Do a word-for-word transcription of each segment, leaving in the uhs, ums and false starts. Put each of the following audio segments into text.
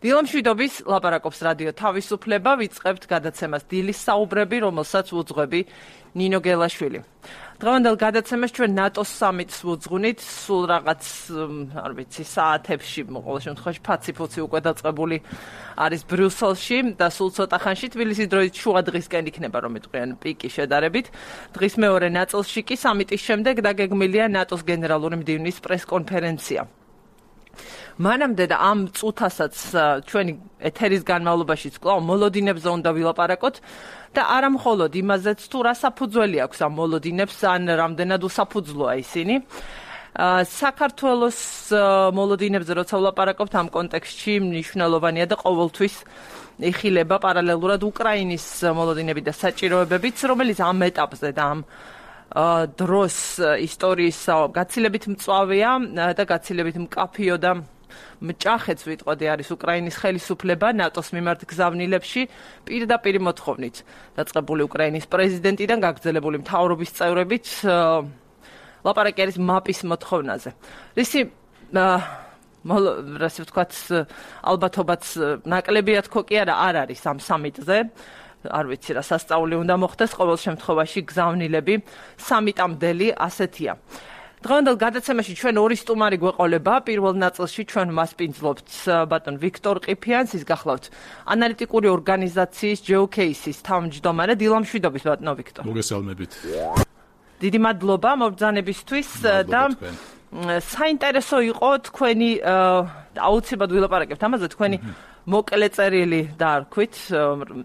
დილამშვიდობის ლაპარაკობს რადიო თავისუფლება, ვიწყებთ გადაცემას დილის საუბრები, რომელსაც უძღვები ნინო გელაშვილი. დღევანდელ გადაცემას ჩვენ ნატოს სამიტს ვუძღვნით, სულ რაღაც, არ ვიცი, საათებში, ყოველ შემთხვევაში ფაცი-ფუცი უკვე დაწყებული არის ბრიუსელში და სულ ცოტა ხანში თბილისის დროით შუა დღისკენ იქნება რომ იტყვიან პიკი შედარებით. დღის მეორე ნაწილში კი სამიტის შემდეგ დაგეგმილია ნატოს გენერალური მდივნის პრესკონფერენცია. მანამდე და ამ წუთასაც ჩვენი ეთერის განმავლობაშიც კვლავ მოლოდინებზე უნდა ვილაპარაკოთ და არა მხოლოდ იმაზეც თუ რა საფუძველი აქვს ამ მოლოდინებს ან რამდენად უსაფუძვლოა ისინი. საქართველოს მოლოდინებზე როცა ვლაპარაკობთ ამ კონტექსტში მნიშვნელოვანია და ყოველთვის იხილება პარალელურად უკრაინის მოლოდინები და საჭიროებებიც, რომელიც ამ ეტაპზე და ამ დროს ისტორიის გაცილებით მწვავეა და გაცილებით მკაფიო და მჭახეც ვიტყოდი არის უკრაინის ხელისუფლება ნატოს მიმართ გზავნილებში პირდაპირ მოთხოვნით დაწყებული უკრაინის პრეზიდენტიდან გაგრძელებული მთავრობის წევრებით ლაპარაკი არის მაპის მოთხოვნაზე. რისი ასე ვთქვათ ალბათობაც ნაკლებია თქო კი არა არ არის ამ სამიტზე. არ ვიცი რა სასწაული უნდა მოხდეს, ყოველ შემთხვევაში გზავნილები სამიტამდელი ასეთია. დღევანდელ გადაცემაში ჩვენ ორი სტუმარი გვეყოლება. პირველ ნაწილში ჩვენ მასპინძლობთ ბატონ ვიქტორ ყიფიანს, ის გახლავთ ანალიტიკური ორგანიზაციის ჯეოკეისის თავმჯდომარე. დილამშვიდობის ბატონო ვიქტორ. მოგესალმებით. დიდი მადლობა მობრძანებისთვის და საინტერესო იყო თქვენი აუცილებლად ვილაპარაკებთ ამაზე თქვენი მოკლე წერილი დაარქვით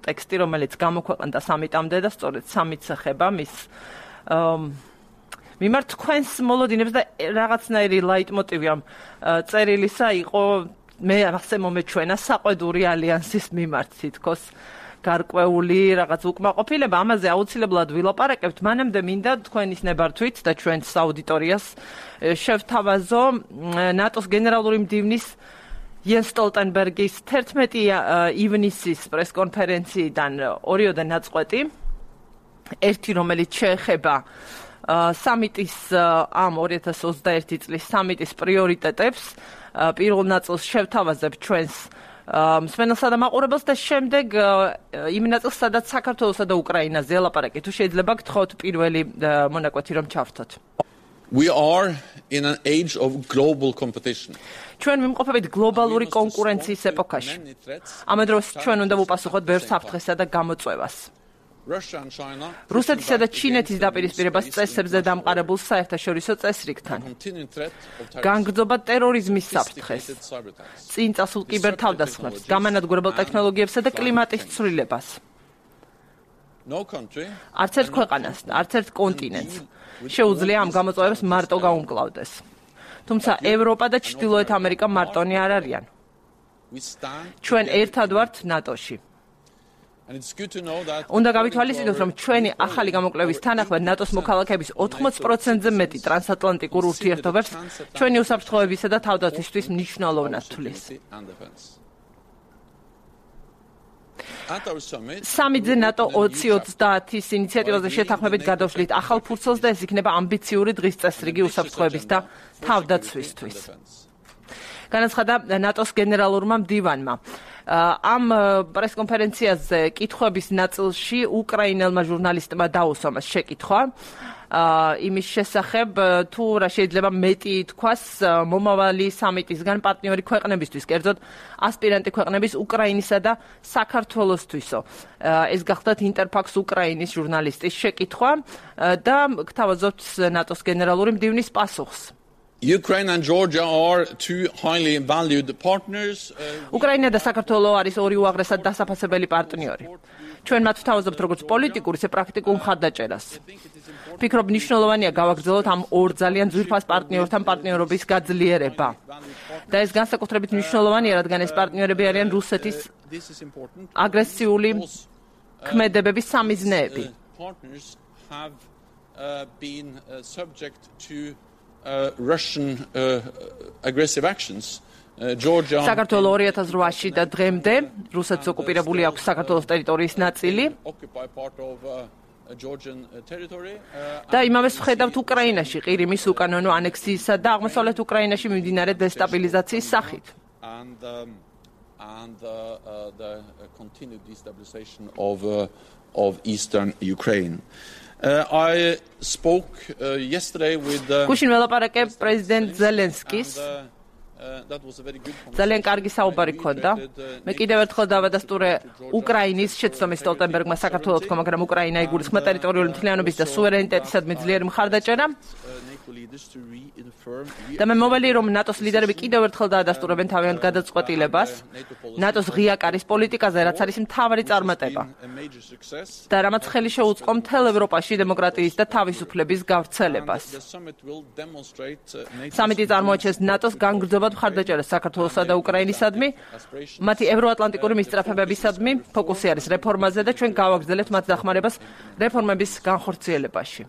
ტექსტი, რომელიც გამოქვეყნდა სამიტამდე და სწორედ სამიტს ეხება მის მიმართ თქვენს მოლოდინებს და რაღაცნაირი ლაიტმოტივი ამ წერილისა იყო მე ასე მომეჩვენა საყვედური ალიანსის მიმართ თითქოს გარკვეული რაღაც უკმაყოფილება. ამაზე აუცილებლად ვილაპარაკებთ. მანამდე მინდა თქვენის ნებართვით და ჩვენს აუდიტორიას შევთავაზო ნატოს გენერალური მდივნის იენს სტოლტენბერგის თერთმეტი ივნისის პრესკონფერენციიდან ორიოდე ნაწყვეტი. ერთი, რომელიც შეეხება სამიტის ამ ორი ათას ოცდაერთი წლის სამიტის პრიორიტეტებს. პირველ ნაწილს შევთავაზებ ჩვენს მსმენელსა და მაყურებელს და შემდეგ იმ ნაწილს, სადაც საქართველოსა და უკრაინაზე ელაპარაკი. თუ შეიძლება გთხოვთ პირველი მონაკვეთი რომ ჩავრთოთ. We are in an age of global competition. ჩვენ ვიმყოფებით გლობალური კონკურენციის ეპოქაში. ამ დროს ჩვენ უნდა ვუპასუხოთ ბევრ საფრთხესა და გამოწვევას. რუსეთისა და ჩინეთის დაპირისპირებას წესებზე დამყარებულ საერთაშორისო წესრიგთან. განგრძობა ტერორიზმის საფრთხეს. წინ წასულ კიბერთავდასხმებს, გამანადგურებელ ტექნოლოგიებსა და კლიმატის ცვლილებას. არც ერთ ქვეყანას, არც ერთ კონტინენტს შეუძლია ამ გამოწვევებს მარტო გაუმკლავდეს. თუმცა ევროპა და ჩრდილოეთ ამერიკა მარტონი არ არიან. ჩვენ ერთად ვართ ნატოში. უნდა გავითვალისწინოთ, რომ ჩვენი ახალი გამოკვლევის თანახმად ნატოს მოქალაქეების ოთხმოცი პროცენტზე მეტი ტრანსატლანტიკურ ურთიერთობებს ჩვენი უსაფრთხოებისა და თავდაცვისთვის მნიშვნელოვნად თვლის. სამიტზე ნატო ოცი ოცდაათის ინიციატივაზე შეთანხმებით გადავშლით ახალ ფურცელს და ეს იქნება ამბიციური დღის წესრიგი უსაფრთხოების და თავდაცვისთვის. განაცხადა ნატოს გენერალურმა მდივანმა. ამ პრესკონფერენციაზე კითხვების ნაწილში უკრაინელმა ჟურნალისტმა დაუსვამას შეკითხვა იმის შესახებ თუ რა შეიძლება მეტი თქვას მომავალი სამიტისგან პარტნიორი ქვეყნებისთვის, კერძოდ ასპირანტი ქვეყნების უკრაინისა და საქართველოსთვისო. ეს გახლდათ ინტერფაქს უკრაინის ჟურნალისტის შეკითხვა და გთავაზობთ ნატოს გენერალური მდივნის პასუხს. Ukraine and Georgia are two highly valued partners. უკრაინა და საქართველო არის ორი უაღრესად დასაფასებელი პარტნიორი. ჩვენ მათ ვთავაზობთ როგორც პოლიტიკურ, ისე პრაქტიკულ მხარდაჭერას. ვფიქრობ, მნიშვნელოვანია გავაგრძელოთ ამ ორ ძალიან ძვირფას პარტნიორთან პარტნიორობის გაძლიერება. და ეს განსაკუთრებით მნიშვნელოვანია, რადგან ეს პარტნიორები არიან რუსეთის აგრესიული ქმედებების სამიზნეები. Uh, Russian uh, aggressive actions. Uh, Georgia საქართველო ორი ათას ოთხში და დღემდე რუსეთს ოკუპირებული აქვს საქართველოს ტერიტორიის ნაწილი. და იმავეს ვხედავთ უკრაინაში ყირიმის უკანონო ანექსიისა და აღმოსავლეთ უკრაინაში მიმდინარე დესტაბილიზაციის სახით. and uh, uh, the uh, continued destabilization of uh, of eastern Ukraine. Uh, I spoke uh, yesterday with uh, Kushin ველაპარაკე პრეზიდენტ ზელენსკის ძალიან კარგი საუბარი ქონდა. მე კიდევ ერთხელ დავადასტურე უკრაინის შეცდომის სტოლტენბერგმა საქართველოს თქო, მაგრამ უკრაინა იგულისხმება ტერიტორიული მთლიანობის და სუვერენიტეტისადმი ძლიერი მხარდაჭერა. და მე მოველი რომ ნატოს ლიდერები კიდევ ერთხელ დაადასტურებენ თავიანთ გადაწყვეტილებას ნატოს ღია კარის პოლიტიკაზე, რაც არის მთავარი წარმატება და რამაც ხელი შეუწყო მთელ ევროპაში დემოკრატიის და თავისუფლების გავრცელებას. სამიტი წარმოაჩენს ნატოს განგრძობად მხარდაჭერას საქართველოსა და უკრაინისადმი, მათი ევროატლანტიკური მისწრაფებებისადმი, ფოკუსი არის რეფორმაზე და ჩვენ გავაგრძელებთ მათ დახმარებას რეფორმების განხორციელებაში.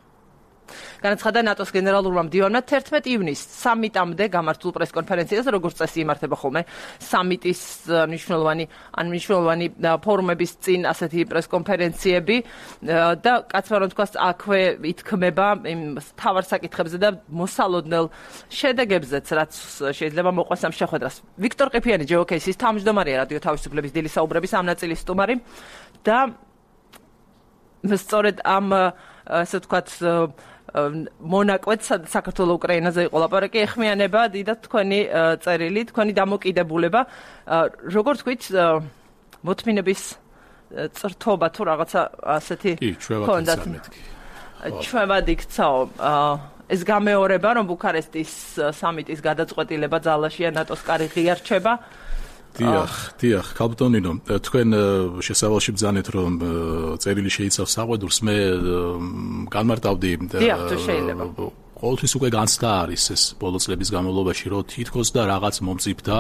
განაცხადა ნატოს გენერალურმა მდივანმა თერთმეტი ივნისს სამიტამდე გამართულ პრესკონფერენციაზე, როგორც წესი იმართება ხოლმე სამიტის მნიშვნელოვანი ან მნიშვნელოვანი ფორუმების წინ ასეთი პრესკონფერენციები და კაცმა რომ თქვას აქვე ითქმება იმ თავარ საკითხებზე და მოსალოდნელ შედეგებზეც, რაც შეიძლება მოყვეს ამ შეხვედრას. ვიქტორ ყიფიანი ჯეოკეისის თავმჯდომარეა რადიო თავისუფლების დილის საუბრების ამ ნაწილის სტუმარი და სწორედ ამ ასე ვთქვათ მონაკვეთ საქართველოს უკრაინაზე იყო ლაპარაკი, ეხმიანება დიდად თქვენი წერილი, თქვენი დამოკიდებულება, როგორ თქვით, მოთმინების წრთობა თუ რაღაცა ასეთი ჰქონდათ. ჩვევად იქცაო. ეს გამეორება, რომ ბუქარესტის სამიტის გადაწყვეტილება ძალაშია ნატოს კარი ღია რჩება. დიახ, დიახ, ქალბატონინო, თქვენ შესავალში ბრძანეთ, რომ წერილი შეიცავს საყვედურს, მე განმარტავდი. დიახ, თუ შეიძლება. ყოველთვის უკვე განცდა არის ეს ბოლო წლების განმავლობაში, რომ თითქოს და რაღაც მომწიფდა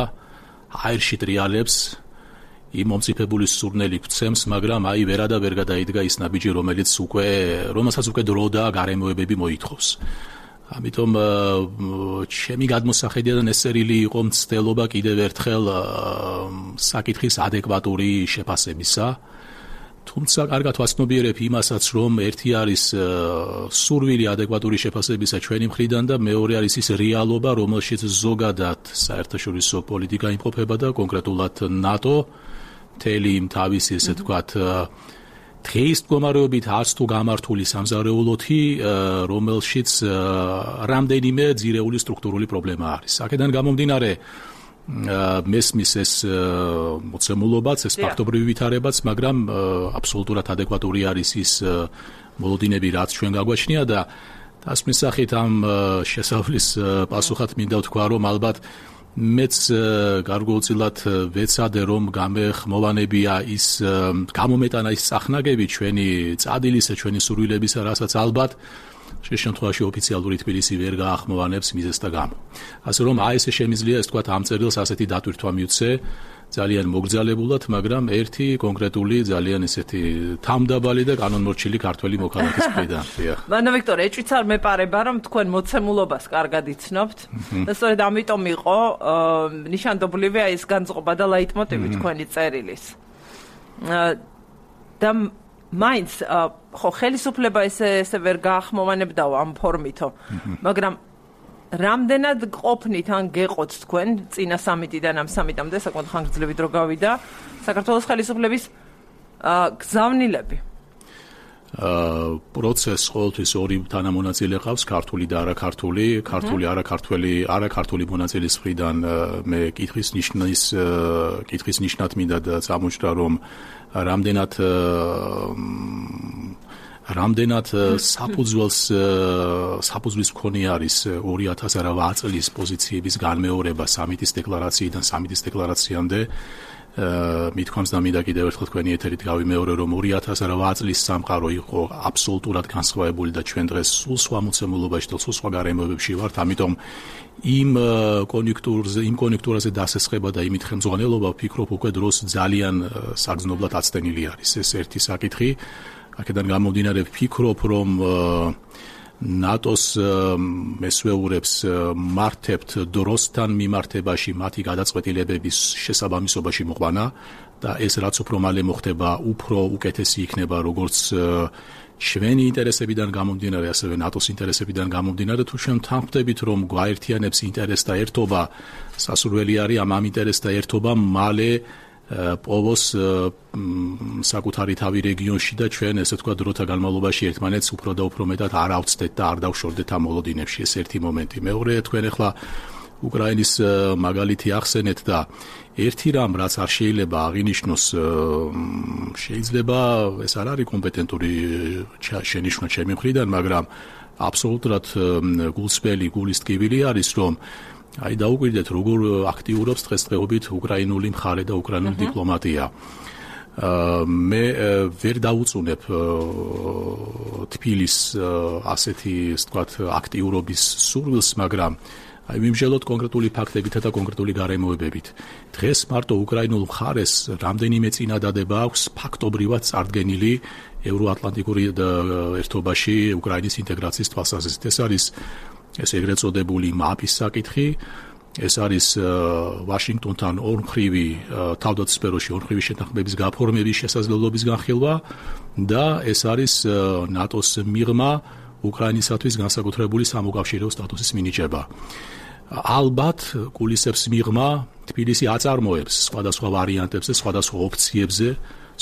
აირში ტრიალებს, იმ მომწიფებული სურნელი გვცემს, მაგრამ აი ვერა და ვერ გადაიდგა ის ნაბიჯი, რომელიც უკვე, რომელსაც უკვე დრო და გარემოებები მოითხოვს. ამიტომ ჩემი გადმოსახედია და ნესერილი იყო მცდელობა კიდევ ერთხელ საკითხის ადეკვატური შეფასებისა. თუმცა კარგად ვაცნობიერებ იმასაც, რომ ერთი არის სურვილი ადეკვატური შეფასებისა ჩვენი მხრიდან და მეორე არის ის რეალობა, რომელშიც ზოგადად საერთაშორისო პოლიტიკა იმყოფება და კონკრეტულად ნატო მთელი თავისი ესე ვთქვათ დღეის მდგომარეობით არც თუ გამართული სამზარეულოთი, რომელშიც რამდენიმე ძირეული სტრუქტურული პრობლემა არის. აქედან გამომდინარე მესმის ეს მოცემულობაც, ეს ფაქტობრივი ვითარებაც, მაგრამ აბსოლუტურად ადეკვატური არის ის მოლოდინები, რაც ჩვენ გაგვაჩნია და თას მისახით ამ შესავლის პასუხად მინდა ვთქვა, რომ ალბათ მეც გარკვეულწილად ვეცადე, რომ გამეხმოვანებია ის გამომეტანა ის წახნაგები ჩვენი წადილისა, ჩვენი სურვილებისა, რასაც ალბათ შე შემთხვევაში ოფიციალური თბილისი ვერ გაახმოვანებს მიზეს და გამო. ასე რომ აი ესე შემიძლია ეს თქვა ამ წერილს ასეთი დატვირთვა მიუცე ძალიან მოგრძალებულად, მაგრამ ერთი კონკრეტული ძალიან ესეთი თამდაბალი და კანონმორჩილი ქართველი მოქალაქის მხრიდან. მანდა ვიქტორ, ეჭვიც არ მეპარება, რომ თქვენ მოცემულობას კარგად იცნობთ და სწორედ ამიტომ იყო ნიშანდობლივი აი ეს განწყობა და ლაიტმოტივი თქვენი წერილის. და მაინც ხო ხელისუფლება ესე ესე ვერ გაახმოვანებდაო ამ ფორმითო, მაგრამ რამდენად ყოფნით ან გეყოთ თქვენ წინა სამიტიდან ამ სამიტამდე საკმაოდ ხანგრძლივი დრო გავიდა საქართველოს ხელისუფლების გზავნილები? პროცესს ყოველთვის ორი თანამონაწილე ყავს, ქართული და არაქართული, ქართული არაქართველი, არაქართული მონაწილის მხრიდან მე კითხვის ნიშნის კითხვის ნიშნად მინდა წამოჭრა, რომ რამდენად რამდენად საფუძველს საფუძვლის მქონე არის ორი ათას ოცდაოთხ წლის პოზიციების განმეორება სამიტის დეკლარაციიდან სამიტის დეკლარაციამდე. მithქვამს და მინდა კიდევ ერთხელ თქვენი ეთერით გავიმეორე, რომ ორი ათას ოცდაოთხ წლის სამყარო იყო აბსოლუტურად განსხვავებული და ჩვენ დღეს სულ სხვა მოცემულობაში და სულ სხვა გარემოებებში ვართ, ამიტომ იმ კონjunქტურაზე, იმ კონjunქტურაზე დასესხება და იმით ხელმძღვანელობა ვფიქრობ უკვე დროს ძალიან საგრძნობლად აცდენილი არის. ეს ერთი საკითხი. აქედან გამომდინარე ვფიქრობ, რომ ნატოს მესვეურებს მართებთ დროსთან მიმართებაში მათი გადაწყვეტილებების შესაბამისობაში მოყვანა და ეს რაც უფრო მალე მოხდება, უფრო უკეთესი იქნება როგორც ჩვენი ინტერესებიდან გამომდინარე, ასევე ნატოს ინტერესებიდან გამომდინარე. თუ ჩვენ თანხმდებით, რომ გვაერთიანებს ინტერესთა ერთობა, სასურველი არის ამ ამ ინტერესთა ერთობა მალე პოვოს საკუთარი თავი რეგიონში და ჩვენ ესე თქვა დროთა განმავლობაში ერთმანეთს უფრო და უფრო მეტად არ ავწდეთ და არ დავშორდეთ ამ მოლოდინებში. ეს ერთი მომენტი. მეორე, თქვენ ახლა უკრაინის მაგალითი ახსენეთ და ერთი რამ რაც არ შეიძლება აღინიშნოს, შეიძლება ეს არ არის კომპეტენტური შენიშვნა ჩემი მხრიდან, მაგრამ აბსოლუტურად გულსმელი, გულის ტკივილი არის, რომ აი დაუკვირდეთ როგორ აქტიურობს დღესდღეობით უკრაინული მხარე და უკრაინული დიპლომატია. მე ვერ დაუწუნებ თბილის ასეთი, ასე ვთქვათ, აქტიურობის სურვილს, მაგრამ აი მიმჟელოთ კონკრეტული ფაქტებითა და კონკრეტული გარემოებებით. დღეს მარტო უკრაინულ მხარეს რამდენიმე წინადადება აქვს ფაქტობრივად წარდგენილი ევროატლანტიკური ერთობაში უკრაინის ინტეგრაციის თვალსაზრისით. ეს არის ეს ეგრეთ წოდებული მაპის საკითხი, ეს არის ვაშინგტონთან ორმხრივი თავდაცვისფეროში ორმხრივი შეთანხმების გაფორმების შესაძლებლობის განხილვა და ეს არის ნატოს მიღმა უკრაინისათვის განსაკუთრებული სამოკავშირეო სტატუსის მინიჭება. ალბათ კულისებს მიღმა თბილისი აწარმოებს სხვადასხვა ვარიანტებზე, სხვადასხვა ოფციებზე,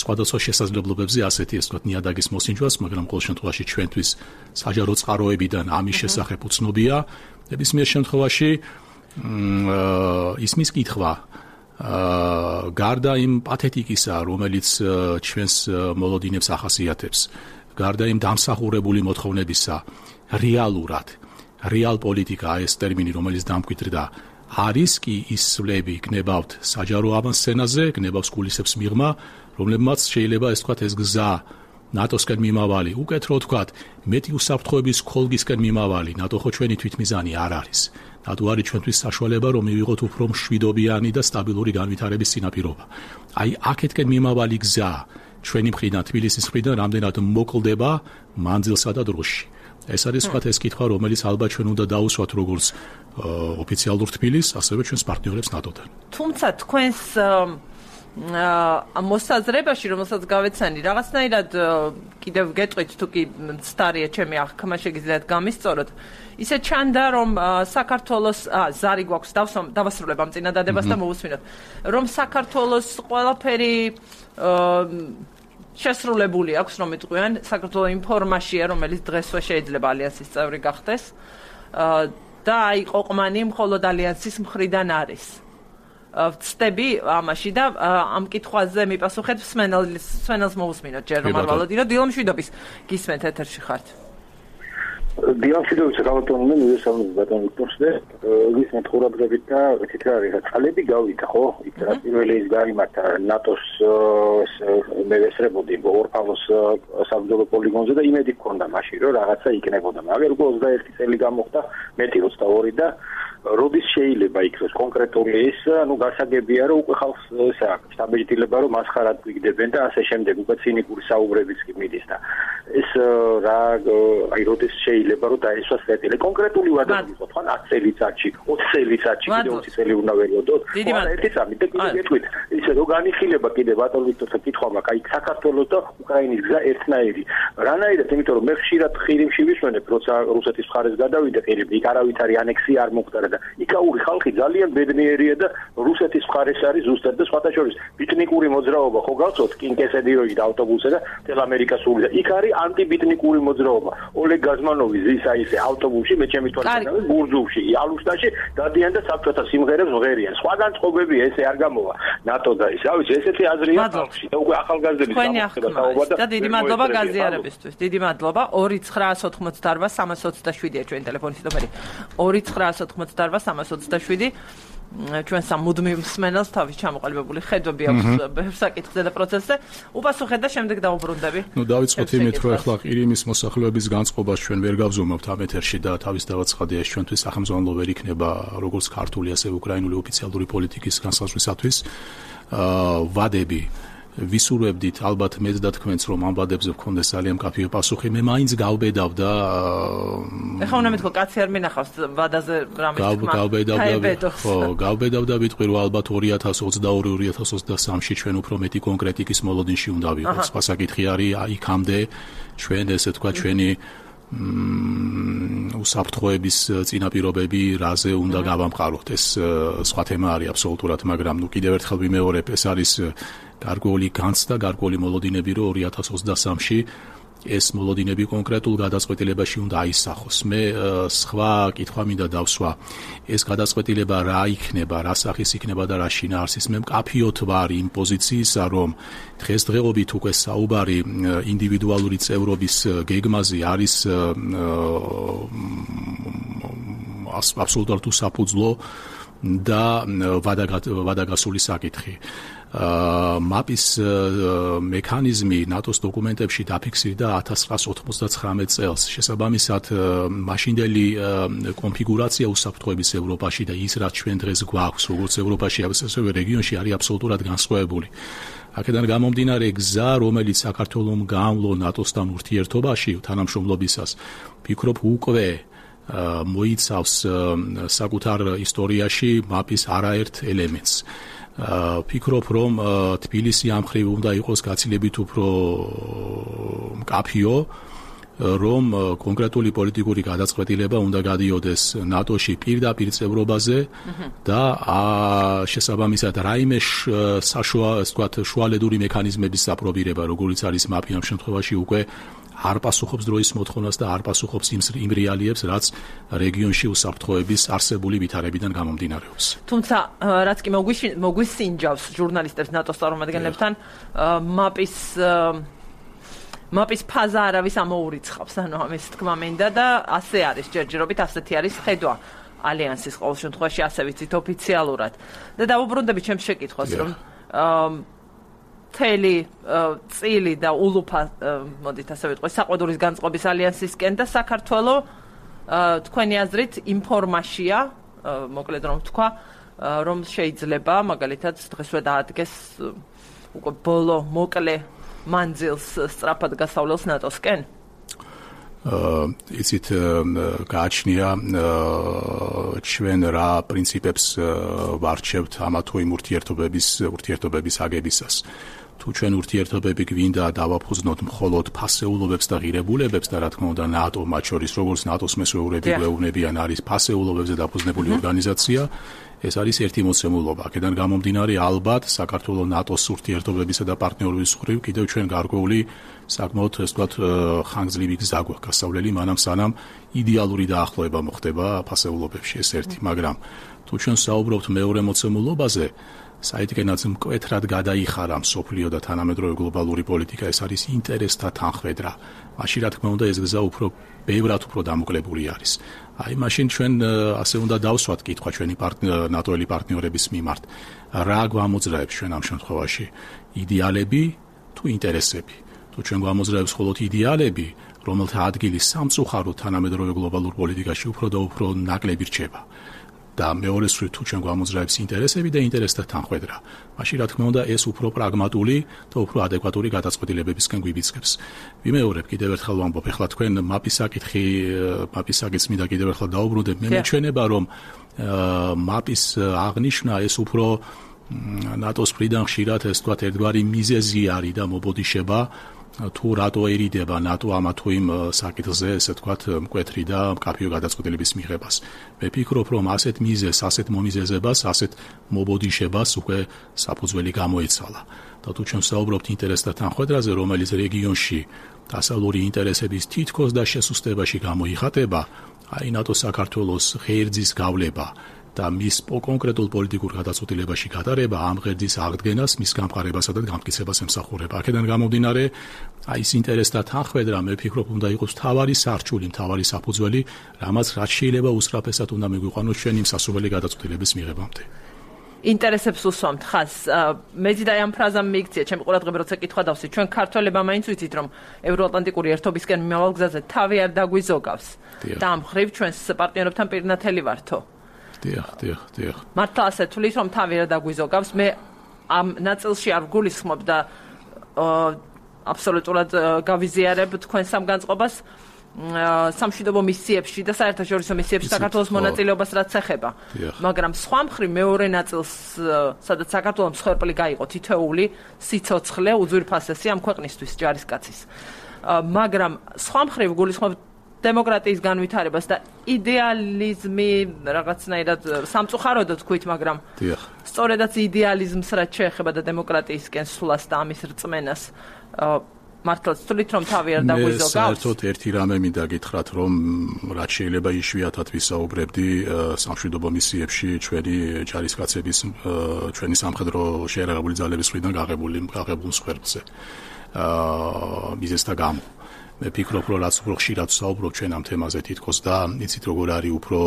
სხვადასხვა შესაძლებლობებზე ასეთი, ასე ვთქვათ, ნიადაგის მოსინჯვას, მაგრამ ყოველ შემთხვევაში ჩვენთვის საჯარო წყაროებიდან ამის შესახებ უცნობია. ნებისმიერ შემთხვევაში ისმის კითხვა გარდა იმ პათეტიკისა, რომელიც ჩვენს მოლოდინებს ახასიათებს, გარდა იმ დამსახურებული მოთხოვნებისა, რეალურად, რეალ პოლიტიკა ეს ტერმინი, რომელიც დამკვიდრდა, არის კი ის სვლები გნებავთ საჯარო ავანსცენაზე, გნებავს კულისებს მიღმა, რომლებმაც შეიძლება ეს თქვათ ეს გზა ნატოსკენ მიმავალი, უკეთრო თქვათ, მეტი უსაფრთხოების ქოლგისკენ მიმავალი, ნატო ხო ჩვენი თვითმიზანი არ არის. ნატო არის ჩვენთვის საშუალება, რომ მივიღოთ უფრო მშვიდობიანი და სტაბილური განვითარების წინაპირობა. აი, აქეთკენ მიმავალი გზა ჩვენი მხრიდან, თბილისის მხრიდან რამდენად მოკლდება მანძილსა და დროში. ეს არის სხვა ეს კითხვა, რომელიც ალბათ ჩვენ უნდა დაუსვათ როგორც ოფიციალურ თბილისს, ასევე ჩვენს პარტნიორებს ნატოდან. თუმცა თქვენს მოსაზრებაში, რომელსაც გავეცანი, რაღაცნაირად კიდევ გეტყვით, თუ კი ცდარია ჩემი აღქმა შეგიძლიათ გამისწოროთ. ისე ჩანდა, რომ საქართველოს ზარი გვაქვს, დავასრულებ ამ წინადადებას და მოვუსმინოთ, რომ საქართველოს ყველაფერი შესრულებული აქვს, რომ იტყვიან, საქართველოს იმ ფორმაშია, რომელიც დღესვე შეიძლება ალიანსის წევრი გახდეს და აი ყოყმანი მხოლოდ ალიანსის მხრიდან არის. ვწდები ამაში და ამ კითხვაზე მიპასუხეთ სვენელს სვენელს მოусმინოთ ჯერ რომ არ ვალოდინო დილომშვიდობის გისმენთ ეთერში ხართ. დილომშვიდობის გავატონე მივესალმებით ბატონ ვიქტორსზე გისმენთ ხურადღებით და თითქოს არის წყალები გავიდა ხო იქ რა პირველი ის გამართა ნატოს მევესწრებოდი ორფალოს საბრძოლო პოლიგონზე და იმედი გქონდა მაშინ რომ რაღაცა იქნებოდა მაგრამ უკვე ოცდაერთი წელი გამოხდა მეტი ოცდაორი და როდის შეიძლება იქნას კონკრეტული ის, ანუ გასაგებია რომ უკვე ხალხს ესე აქვს დაბეჭდილება რომ მასხარად გვიგდებენ და ასე შემდეგ უკვე ცინიკური საუბრებიც კი მიდის და ეს რა აი როდის შეიძლება რომ დაესვას კეთილი კონკრეტული ვადა ვიყოთ ხან ათი წელიწადში ოცი წელიწადში კიდე ოცი წელი უნდა ვერიოდოთ ერთი წამი და კიდე გეტყვით ისე რომ განიხილება კიდე ბატონ ვიქტორს კითხვა მაქვს აი საქართველოს და უკრაინის გზა ერთნაირი რანაირად იმიტომ რომ მე ხშირად ხირიმში ვისვენებ როცა რუსეთის მხარეს გადავიდე ხირიმში იქ არავითარი ანექსია არ მოხდა და იქაური ხალხი ძალიან ბედნიერია და რუსეთის მხარეს არის ზუსტად და სხვათა შორის ბიტნიკური მოძრაობა ხო გავწოთ კინკესედიროი და ავტობუსზე და თელ ამერიკას სული და იქ არის ანტიბიტნიკური მოძრაობა ოლეგ გაზმანოვი ზისა ისე ავტობუსში მე ჩემი თვალსაჩინო გურძულში ალუშტაში დადიან და საბჭოთა სიმღერებს ვღერიან სხვაგან წყობები ესე არ გამოვა ნატო და ის რა ვიცი ესეთი აზრია ხალხში და უკვე ახალგაზრდების გამოხდება საუბარ და დიდი მადლობა გაზიარებისთვის დიდი მადლობა ორი ცხრაას ოთხმოცდაარბა სამას ოცდაშვიდია ჩვენი ტელეფონის ნომერი ორი ცხრაას ოთხმოცდაარბა სამას ოცდაშვიდი ჩვენ სამუდმივ მსმენელს თავის ჩამოყალიბებული ხედვები აქვს ბევრ საკითხზე და პროცესზე. უპასუხეთ და შემდეგ დავუბრუნდები. ნუ დავიწყოთ იმით, რომ ახლა ყირიმის მოსახლეობის განწყობას ჩვენ ვერ გავზომავთ ამ ეთერში და თავის დავაცხადია ჩვენთვის სახელმწიფო ვერ იქნება როგორც ქართული, ასევე უკრაინული ოფიციალური პოლიტიკის განსაზღვრისათვის ვადები ვისურვებდით ალბათ მეც და თქვენც რომ ამ ვადებზე გქონდეს ძალიან მკაფიო პასუხი მე მაინც გავბედავდა ეხლა უნდა მეთქო კაცი არ მინახავს ვადაზე რამე თქმა გავბედავდა ხო გავბედავდა ვიტყვი რომ ალბათ ორი ათას ოცდაორი ორი ათას ოცდასამში ჩვენ უფრო მეტი კონკრეტიკის მოლოდინში უნდა ვიყოთ სხვა საკითხი არის იქამდე ჩვენ ესე თქვა ჩვენი უსაფრთხოების წინაპირობები რაზე უნდა გავამყაროთ. ეს სხვა თემა არის აბსოლუტურად, მაგრამ ნუ კიდევ ერთხელ ვიმეორებ, ეს არის გარკვეული განცდა, გარკვეული მოლოდინები, რომ ორი ათას ოცდასამში ეს მოლოდინები კონკრეტულ გადაწყვეტილებაში უნდა აისახოს. მე სხვა კითხვა მინდა დავსვა. ეს გადაწყვეტილება რა იქნება, რა სახის იქნება და რა შინაარსის. მე მკაფიოდ ვარ იმ პოზიციისა, რომ დღესდღეობით უკვე საუბარი ინდივიდუალური წევრობის გეგმაზე არის აბსოლუტურად უსაფუძვლო და ვადაგასული საკითხი. მაპის მექანიზმი ნატოს დოკუმენტებში დაფიქსირდა ათას ცხრაას ოთხმოცდაცხრამეტ წელს. შესაბამისად, მაშინდელი კონფიგურაცია უსაფრთხოების ევროპაში და ის რაც ჩვენ დღეს გვაქვს, როგორც ევროპაში, ასევე რეგიონში არის აბსოლუტურად განსხვავებული. აქედან გამომდინარე გზა, რომელიც საქართველოს გამლო ნატოსთან ურთიერთობაში თანამშრომლობისას, ვფიქრობ უკვე მოიცავს საკუთარ ისტორიაში მაპის არაერთ ელემენტს. ვფიქრობ, რომ თბილისი ამ მხრივ უნდა იყოს გაცილებით უფრო მკაფიო, რომ კონკრეტული პოლიტიკური გადაწყვეტილება უნდა გადიოდეს ნატოში პირდაპირ წევრობაზე და შესაბამისად რაიმე საშუა, ასე ვთქვათ, შუალედური მექანიზმების საპრობირება, როგორც არის მაპი ამ შემთხვევაში უკვე არ პასუხობს დროის მოთხოვნას და არ პასუხობს იმ რეალიებს, რაც რეგიონში უსაფრთხოების არსებული ვითარებიდან გამომდინარეობს. თუმცა, რაც კი მოგვისინჯავს ჟურნალისტებს ნატოს წარმომადგენლებთან, მაპის მაპის ფაზა არავის ამოურიცხავს, ანუ ამის თქმა მინდა და ასე არის ჯერჯერობით, ასეთი არის ხედვა ალიანსის ყოველ შემთხვევაში, ასე ვიცით ოფიციალურად. და დავუბრუნდები ჩემს შეკითხვას, რომ მთელი წილი და ულუფა, მოდით ასე ვიტყვი, საყვედურის განწყობის ალიანსისკენ და საქართველოს თქვენი აზრით ინფორმაცია, მოკლედ რომ თქვა, რომ შეიძლება მაგალითად დღესვე დაადგეს უკვე ბოლო მოკლე მანძილს სწრაფად გასავლელს ნატოსკენ? იცით, გააჩნია ჩვენ რა პრინციპებს ვარჩევთ ამა თუ იმ ურთიერთობების ურთიერთობების აგებისას. თუ ჩვენ ურთიერთობები გვინდა დავაფუძნოთ მხოლოდ ფასეულობებს და ღირებულებებს და რა თქმა უნდა ნატო მათ შორის როგორც ნატოს მესვეურები გვეუბნებიან არის ფასეულობებზე დაფუძნებული ორგანიზაცია, ეს არის ერთი მოცემულობა. აქედან გამომდინარე ალბათ საქართველოს ნატოს ურთიერთობებისა და პარტნიორობის მხრივ კიდევ ჩვენ გარკვეული საკმაოდ ასე ვთქვათ ხანგრძლივი გზა გვაქვს გასავლელი, მანამ სანამ იდეალური დაახლოება მოხდება ფასეულობებში, ეს ერთი, მაგრამ თუ ჩვენ საუბრობთ მეორე მოცემულობაზე, საიდგენაც მკვეთრად გადაიხარა მსოფლიო და თანამედროვე გლობალური პოლიტიკა, ეს არის ინტერესთა თანხმედრა. მაშინ რა თქმა უნდა ეს გზა უფრო ბევრად უფრო დამოკლებული არის. აი მაშინ ჩვენ ასე უნდა დავსვათ კითხვა ჩვენი ნატოელი პარტნიორების მიმართ. რა გვამოძრავებს ჩვენ ამ შემთხვევაში? იდეალები თუ ინტერესები? თუ ჩვენ გვამოძრავებს მხოლოდ იდეალები, რომელთა ადგილი სამწუხაროდ თანამედროვე გლობალურ პოლიტიკაში უფრო და უფრო ნაკლები რჩება. და მეორე მხრივ თუ ჩვენ გვამოძრავებს ინტერესები და ინტერესთა თანხმედრა, მაშინ რა თქმა უნდა ეს უფრო პრაგმატული და უფრო ადეკვატური გადაწყვეტილებებისკენ გვიბიძგებს. ვიმეორებ კიდევ ერთხელ ვამბობ, ეხლა თქვენ მაპის საკითხი, მაპის საკითხს მინდა კიდევ ერთხელ დაუბრუნდეთ. მე მეჩვენება, რომ მაპის აღნიშვნა ეს უფრო ნატოს მხრიდან ხშირად ეს თქვათ ერთგვარი მიზეზი არის და მობოდიშება თუ რატო ერიდება ნატო ამა თუ იმ საკითხზე, ესე ვთქვათ, მკვეთრი და მკაფიო გადაწყვეტილების მიღებას. მე ვფიქრობ, რომ ასეთ მიზეზს, ასეთ მომიზეზებას, ასეთ მობოდიშებას უკვე საფუძველი გამოეცალა. და თუ ჩვენ საუბრობთ ინტერესთა თანხმედრაზე, რომელიც რეგიონში დასავლური ინტერესების თითქოს და შესუსტებაში გამოიხატება, აი ნატო საქართველოს ღერძის გავლება და მის კონკრეტულ პოლიტიკურ გადაწყვეტილებაში გატარება ამ ღერძის აღდგენას, მის გამყარებასა და გამტკიცებას ემსახურება. აქედან გამომდინარე, აი ეს ინტერესთა თანხმედრა, მე ვფიქრობ, უნდა იყოს მთავარი სარჩული, მთავარი საფუძველი, რამაც რაც შეიძლება უსწრაფესად უნდა მიგვიყვანოს ჩვენ იმ სასურველი გადაწყვეტილების მიღებამდე. ინტერესებს უსვამთ ხაზს. მეც და ამ ფრაზამ მიიქცია ჩემი ყურადღება, როცა კითხვა დავსვი. ჩვენ ქართველებმა მაინც ვიცით, რომ ევროატლანტიკური ერთობისკენ მიმავალ გზაზე თავი არ დაგვიზოგავს. და ამ მხრივ ჩვენს პარტნიორებთან პირნათელი ვართო. დიახ, დიახ, დიახ. მართლა ასე თulis, რომ თავი არ დაგვიზოგავს. მე ამ ნაწილში არ ვგულისხმობ და აბსოლუტურად გავიზიარებ თქვენ სამ განწყობას სამშვიდობო მისიებში და საერთაშორისო მისიებში საქართველოს მონაწილეობას რაც ეხება. მაგრამ სხვა მხრივ მეორე ნაწილს, სადაც საქართველოს მსხვერპლი გაიყო თითოეული სიცოცხლე უძვირფასესი ამ ქვეყნისთვის ჯარისკაცის. მაგრამ სხვა მხრივ ვგულისხმობ დემოკრატიის განვითარებას და იდეალიზმი რაღაცნაირად სამწუხაროდ თქვით, მაგრამ დიახ. სწორედაც იდეალიზმს რაც შეეხება და დემოკრატიისკენ სვლას და ამის რწმენას მართლაც თვლით რომ თავი არ დაგვიზოგავს? მე საერთოდ ერთი რამე მინდა გითხრათ, რომ რაც შეიძლება იშვიათად ვისაუბრებდი სამშვიდობო მისიებში ჩვენი ჯარისკაცების ჩვენი სამხედრო შეერაღებული ძალების მხრიდან გაღებული გაღებულ მსხვერპლზე. აა მიზეზთა გამო. მე ფიქრობ, რომ რაც უფრო ხშირად ვსაუბრობ ჩვენ ამ თემაზე თითქოს და იცით როგორ არის უფრო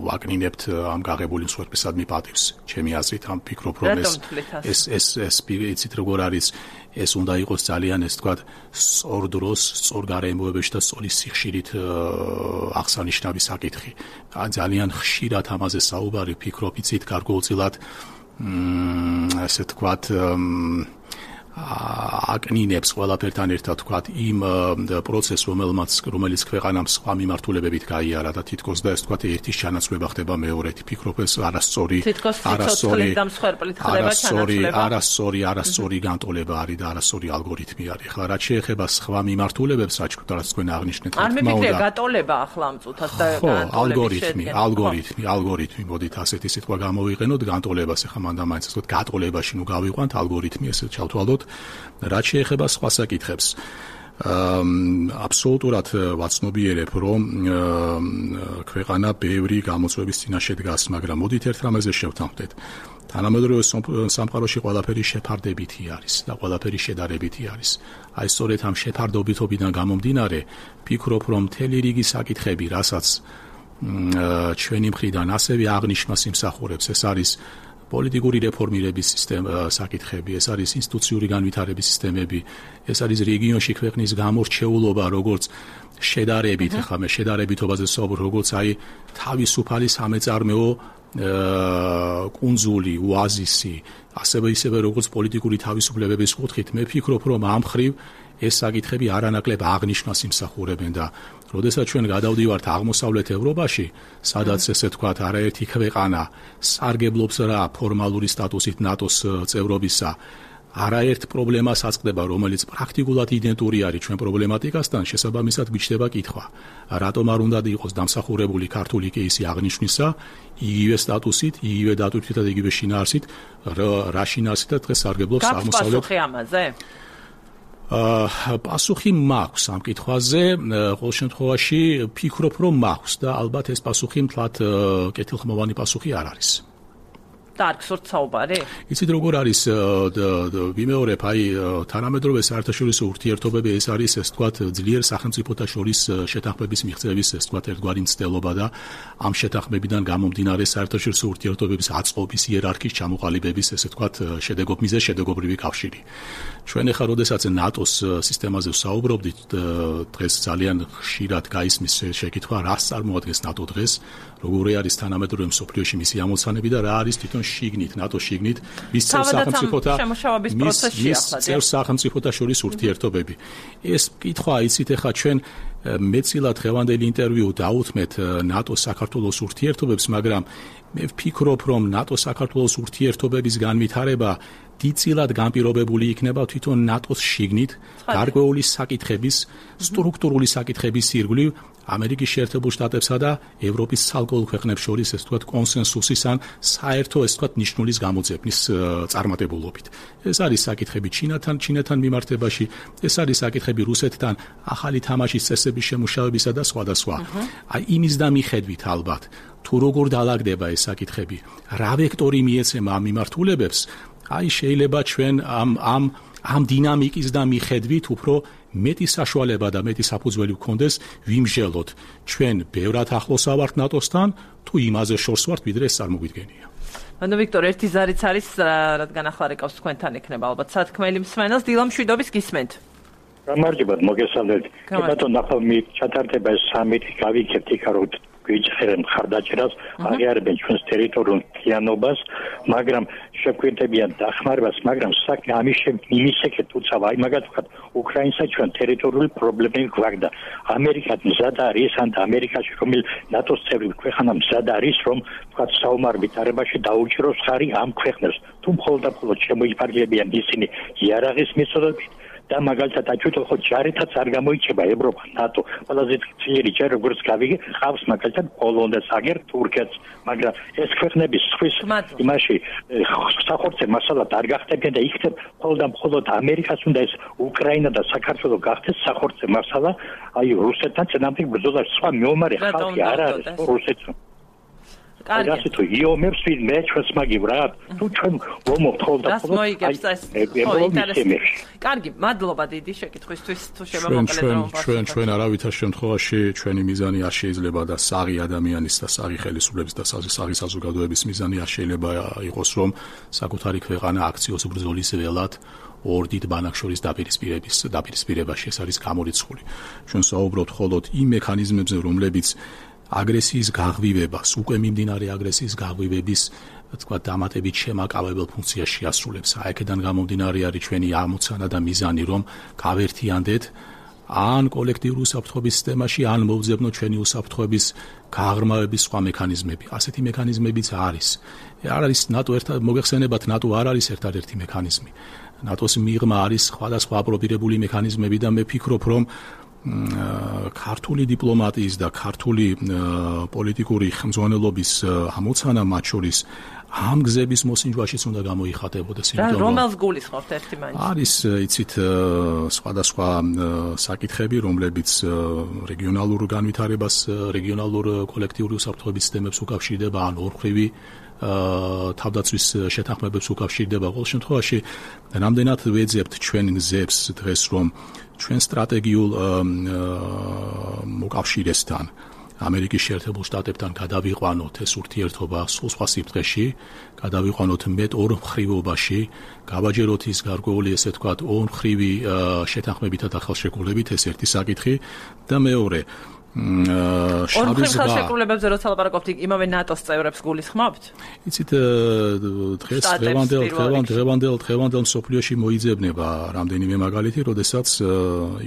ვაკნინებთ ამ გაღებული მსხვერპლისადმი პატივს. ჩემი აზრით ამ ფიქრობ, რომ ეს ეს ეს ეს იცით როგორ არის ეს უნდა იყოს ძალიან ეს თქვა სწორ დროს, სწორ გარემოებაში და სწორი სიხშირით აღსანიშნავი საკითხი. ძალიან ხშირად ამაზე საუბარი ფიქრობ, იცით გარკვეულწილად ესე თქვა აკნინებს ყველაფერთან ერთად თქვათ იმ პროცესს, რომელმაც რომელიც ქვეყანამ სხვა მიმართულებებით გაიარა და თითქოს და ეს თქვათ ერთის ჩანაცვლება ხდება მეორეთი. ფიქრობ ეს არასწორი არასწორი არასწორი არასწორი არასწორი განტოლება არის და არასწორი ალგორითმი არის. ახლა რაც შეეხება სხვა მიმართულებებს, რაც თქვენ აღნიშნეთ, არ მიფიქრე გატოლება ახლა ამ წუთას და ალგორითმი, ალგორითმი, ალგორითმი, მოდით ასეთი სიტყვა გამოვიყენოთ, განტოლებას ახლა მანდა მაინც ასე ვთქვათ, გატოლებაში ნუ გავიყვანთ ალგორითმი, ესე ჩავთვალოთ. რაც შეეხება სხვა საკითხებს, აბსოლუტურად ვაცნობიერებ, რომ ქვეყანა ბევრი გამოწვევის წინაშე დგას, მაგრამ მოდით ერთ რამეზე შევთანხმდეთ. თანამედროვე სამყაროში ყველაფერი შეფარდებითი არის და ყველაფერი შედარებითი არის. აი სწორედ ამ შეფარდობითობიდან გამომდინარე, ფიქრობ, რომ მთელი რიგი საკითხები, რასაც ჩვენი მხრიდან ასევე აღნიშვნას იმსახურებს, ეს არის პოლიტიკური რეფორმირების სისტემა საკითხები, ეს არის ინსტიტუციური განვითარების სისტემები, ეს არის რეგიონში ქვეყნის გამორჩეულობა, როგორც შედარებით, ახლა მე შედარებითობაზე საუბრობ, როგორც აი თავისუფალი სამეწარმეო კუნძული, ოაზისი, ასევე ისევე როგორც პოლიტიკური თავისუფლებების კუთხით, მე ფიქრობ, რომ ამ მხრივ ეს საკითხები არანაკლებ აღნიშვნას იმსახურებენ და როდესაც ჩვენ გადავდივართ აღმოსავლეთ ევროპაში, სადაც ესე თქვათ, არაერთი ქვეყანა სარგებლობს რა ფორმალური სტატუსით ნატოს წევრობისა, არაერთ პრობლემას აწყდება, რომელიც პრაქტიკულად იდენტური არის ჩვენ პრობლემატიკასთან, შესაბამისად გვიჩნდება კითხვა, რატომ არ უნდა იყოს დამსახურებული ქართული კეისი აღნიშვნისა, იგივე სტატუსით, იგივე დატვირთვით და იგივე შინაარსით, რა შინაარსით და დღეს სარგებლობს აღმოსავლეთ. გასპასუხი ამაზე? პასუხი მაქვს ამ კითხვაზე, ყოველ შემთხვევაში ფიქრობ, რომ მაქვს და ალბათ ეს პასუხი მთლად კეთილხმოვანი პასუხი არ არის. დარგს ვართ საუბარი? იცით როგორ არის, ვიმეორებ, აი თანამედროვე საერთაშორისო ურთიერთობები ეს არის, ეს თქვათ, ძლიერ სახელმწიფოთა შორის შეთანხმების მიღწევის, ეს თქვათ, ერთგვარი მცდელობა და ამ შეთანხმებიდან გამომდინარე საერთაშორისო ურთიერთობების აწყობის იერარქიის ჩამოყალიბების, ესე თქვათ, შედეგობ მიზეზ შედეგობრივი კავშირი. ჩვენ ახლა როდესაც ნატოს სისტემაზე ვსაუბრობდით, დღეს ძალიან ხშირად გაისმის შეკითხვა, რას წარმოადგენს ნატო დღეს, როგორი არის თანამედროვე მსოფლიოში მისი ამოცანები და რა არის თვითონ შიგნით, ნატო შიგნით, მის წევრ სახელმწიფოთა წევრ სახელმწიფოთა შორის ურთიერთობები. ეს კითხვა იცით ახლა ჩვენ მეცილად ღევანდელი ინტერვიუ დაუთმეთ ნატო საქართველოს ურთიერთობებს, მაგრამ მე ვფიქრობ, რომ ნატო საქართველოს ურთიერთობების განვითარება დიდწილად განპირობებული იქნება თვითონ ნატოს შიგნით გარკვეული საკითხების, სტრუქტურული საკითხების ირგვლივ ამერიკის შეერთებულ შტატებსა და ევროპის ცალკეულ ქვეყნებს შორის, ეს თქვათ, კონსენსუსის ან საერთო, ეს თქვათ, ნიშნულის გამოძებნის წარმატებულობით. ეს არის საკითხები ჩინეთთან, ჩინეთთან მიმართებაში, ეს არის საკითხები რუსეთთან, ახალი თამაშის წესების შემუშავებისა და სხვა და სხვა. აი იმის და მიხედვით ალბათ, თუ როგორ დაალაგდება ეს საკითხები, რა ვექტორი მიეცემა ამ მიმართულებებს, აი შეიძლება ჩვენ ამ ამ ამ დინამიკის და მიხედვით უფრო მეტი საშუალება და მეტი საფუძველი გქონდეს ვიმსჯელოთ ჩვენ ბევრად ახლოს ავართ ნატოსთან თუ იმაზე შორს ვართ ვიდრე ეს წარმოგვიდგენია. ანუ ვიქტორ, ერთი ზარიც არის, რადგან ახლა რეკავს თქვენთან იქნება ალბათ სათქმელი მსმენელს, დილა მშვიდობის გისმენთ. გამარჯობათ, მოგესალმებით. ბატონო, ახლა მე ჩატარდება ეს სამიტი, გავიქებთ იქ რომ გვიჭერენ მხარდაჭერას, აღიარებენ ჩვენს ტერიტორიულ მთლიანობას, მაგრამ შეგვიძლია დახმარებას, მაგრამ საკ ამის იმის შეკეთ უცავა, აი მაგათ ვქოთ, უკრაინსა ჩვენ ტერიტორიული პრობლემები გვაქვს და ამერიკა მზად არის, ან ამერიკაში რომელ ნატოს წევრი ქვეყანა მზად არის, რომ ვქოთ საომარ ვითარებაში დაუჭიროს ხარი ამ ქვეყნებს, თუ მხოლოდ და მხოლოდ შემოიფარგლებიან ისინი იარაღის მეთოდებით და მაგალითად აჩვენო ხო ჯარითაც არ გამოიჩება ევროპა, ნატო. ყველაზე ძლიერი ჯარი როგორც გავიგე, ხავს მაგალითად პოლონეთს, აგერ თურქეთს, მაგრამ ეს ქვეყნები სხვის იმაში სახორცე მასალად არ გახდებიან და იქნებ მხოლოდ და მხოლოდ ამერიკას უნდა ეს უკრაინა და საქართველო გახდეს სახორცე მასალა, აი რუსეთთან წინააღმდეგ ბრძოლაში სხვა მეომარი ხალხი არ არის რუსეთს. კარგი. ასე თუ იომებს მე ჩვენს მაგივ რა თუ ჩვენ ვომობთ ხოლმე და ხოლმე აი კარგი მადლობა დიდი შეკითხვისთვის თუ შემოგვიყვეთ რომ ჩვენ ჩვენ არავითარ შემთხვევაში ჩვენი მიზანი არ შეიძლება და საღი ადამიანის და საღი ხელისუფლების და საღი საზოგადოების მიზანი არ შეიძლება იყოს რომ საკუთარი ქვეყანა აქციოს ბრძოლის ველად ორ დიდ ბანაკშორის დაპირისპირების დაპირისპირებაში ეს არის გამორიცხული ჩვენ საუბრობთ მხოლოდ იმ მექანიზმებზე რომლებიც აგრესიის გაღვივებას, უკვე მიმდინარე აგრესიის გაღვივების, თქვა, დამატებით შემაკავებელ ფუნქციას შეასრულებს. აი, აქედან გამომდინარე არის ჩვენი ამოცანა და მიზანი, რომ გავერთიანდეთ ან კოლექტიური უსაფრთხოების სისტემაში, ან მოვძებნოთ ჩვენი უსაფრთხოების გაღრმავების სხვა მექანიზმები. ასეთი მექანიზმებიც არის. არ არის ნატო ერთად მოგეხსენებათ, ნატო არ არის ერთადერთი მექანიზმი. ნატოს მიღმა არის სხვადასხვა აპრობირებული მექანიზმები და მე ფიქრობ, რომ ქართული დიპლომატიის და ქართული პოლიტიკური ხმძღვანელობის ამოცანა მათ შორის ამ გზების მოსინჯვაშიც უნდა გამოიხატებოდეს. იმიტომ რომ რომელს გულისხმობთ ერთი მაინც? არის, იცით, სხვადასხვა საკითხები, რომლებიც რეგიონალურ განვითარებას, რეგიონალურ კოლექტიური უსაფრთხოების სისტემებს უკავშირდება, ან ორმხრივი თავდაცვის შეთანხმებებს უკავშირდება. ყოველ შემთხვევაში, რამდენად ვეძებთ ჩვენ გზებს დღეს, რომ ჩვენ სტრატეგიულ მოკავშირესთან ამერიკის შეერთებულ შტატებთან გადავიყვანოთ ეს ურთიერთობა სულ სხვა სიფრთხეში, გადავიყვანოთ მეტ ორმხრივობაში, გავაჯეროთ ის გარკვეული ესე ვთქვათ ორმხრივი შეთანხმებითა და ხელშეკრულებით, ეს ერთი საკითხი და მეორე შავი ზღვა ხელშეკრულებებზე როცა ლაპარაკობთ, იმავე ნატოს წევრებს გულისხმობთ? იცით, დღეს დღევანდელ დღევანდელ დღევანდელ მსოფლიოში მოიძებნება რამდენიმე მაგალითი, როდესაც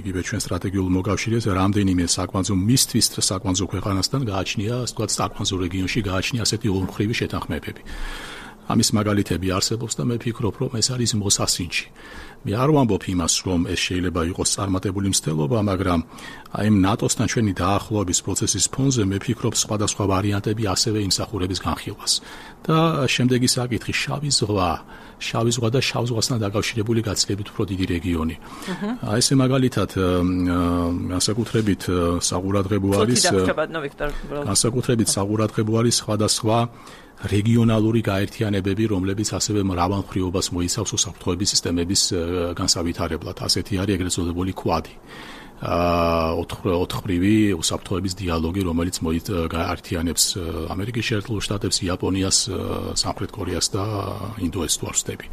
იგივე ჩვენ სტრატეგიულ მოკავშირეს რამდენიმე საკვანძო მისთვის საკვანძო ქვეყანასთან გააჩნია, ასე ვთქვათ, საკვანძო რეგიონში გააჩნია ასეთი ორმხრივი შეთანხმებები. ამის მაგალითები არსებობს და მე ფიქრობ, რომ ეს არის მოსასინჯი. მე არ ვამბობ იმას, რომ ეს შეიძლება იყოს წარმატებული მცდელობა, მაგრამ აი ნატოსთან ჩვენი დაახლოების პროცესის ფონზე მე ფიქრობ, სხვადასხვა ვარიანტები ასევე იმსახურების განხილვას. და შემდეგი საკითხი, შავი ზღვა, შავი ზღვა და შავ ზღვასთან დაკავშირებული გაცილებით უფრო დიდი რეგიონი. აი ესე მაგალითად, განსაკუთრებით საყურადღებო არის განსაკუთრებით საყურადღებო არის სხვადასხვა რეგიონალური გაერთიანებები, რომლებიც ასევე მრავალმხრივობას მოიცავს უსაფრთხოების სისტემების განსავითარებლად. ასეთი არის ეგრეთ წოდებული კვადი. ოთხმხრივი უსაფრთხოების დიალოგი, რომელიც გაერთიანებს ამერიკის შეერთებულ შტატებს, იაპონიას, სამხრეთ კორეას და ინდოესტუარს ვსტები.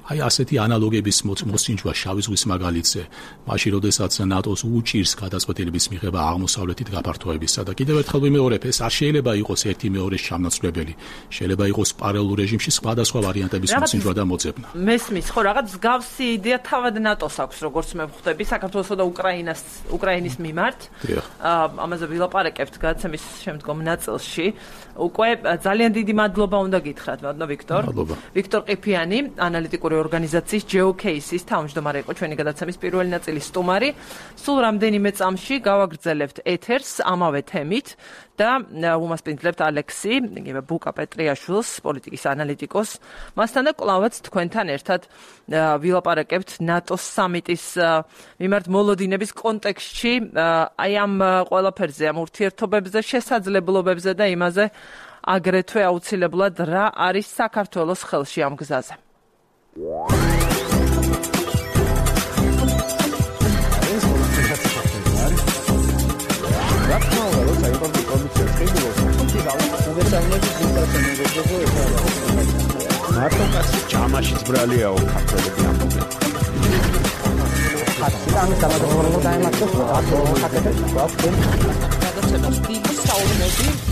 აი ასეთი ანალოგების მოსინჯვა შავი ზღვის მაგალითზე, მაშინ როდესაც ნატოს უჭირს გადაწყვეტილების მიღება აღმოსავლეთით გაფართოებისა და კიდევ ერთხელ ვიმეორებ, ეს არ შეიძლება იყოს ერთი მეორეს ჩამნაცვლებელი. შეიძლება იყოს პარალელურ რეჟიმში სხვადასხვა ვარიანტების მოსინჯვა და მოძებნა. მესმის, ხო, რაღაც მსგავსი იდეა თავად ნატოს აქვს, როგორც მე ვხვდები, საქართველოსა და უკრაინას, უკრაინის მიმართ. ამაზე ვილაპარაკებთ გადაცემის შემდგომ ნაწილში. უკვე ძალიან დიდი მადლობა უნდა გითხრათ, მადლობა ვიქტორ. ვიქტორ ყიფიანი, ანალიტიკური ორგანიზაციის ჯეოკეისის თავმჯდომარე იყო ჩვენი გადაცემის პირველი ნაწილის სტუმარი. სულ რამდენიმე წამში გავაგრძელებთ ეთერს ამავე თემით და უმასპინძლებთ ალექსი, იგივე ბუკა პეტრიაშვილს, პოლიტიკის ანალიტიკოს. მასთან და კვლავაც თქვენთან ერთად ვილაპარაკებთ ნატოს სამიტის მიმართ მოლოდინების კონტექსტში, აი ამ ყველაფერზე, ამ ურთიერთობებზე, შესაძლებლობებზე და იმაზე აგრეთვე აუცილებლად რა არის საქართველოს ხელში ამ გზაზე. მარტოკაც ჯამაშიც ბრალიაო ქართველები ამბობენ. ხატიდან გამოგონებოდა დაემართოს ხატებს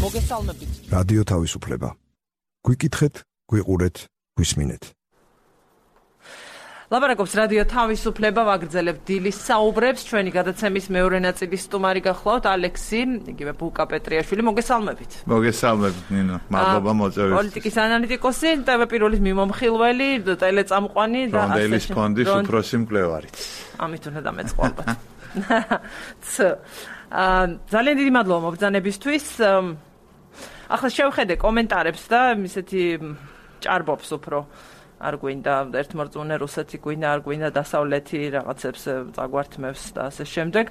მოგესალმებით. რადიო თავისუფლება. გვიკითხეთ, გვიყურეთ, გვისმინეთ. ლაპარაკობს რადიო თავისუფლება, ვაგრძელებთ დილის საუბრებს. ჩვენი გადაცემის მეორე ნაწილის სტუმარი გახლავთ ალექსი, იგივე ბუკა პეტრიაშვილი. მოგესალმებით. მოგესალმებით ნინო. მადლობა მოწვევისთვის. პოლიტიკის ანალიტიკოსი, ტევ პირველის მიმომხილველი, ტელეწამყვანი და ბრონდელის ფონდის უფროსი მკვლევარიც. ამით უნდა დამეწყვალოთ. ძალიან დიდი მადლობა მობრძანებისთვის. ახლა შევხედე კომენტარებს და ისეთი ჭარბობს უფრო. არ გვინდა ერთმორწმუნე რუსეთი გვინდა, არ გვინდა დასავლეთი რაღაცებს წაგვართმევს და ასე შემდეგ.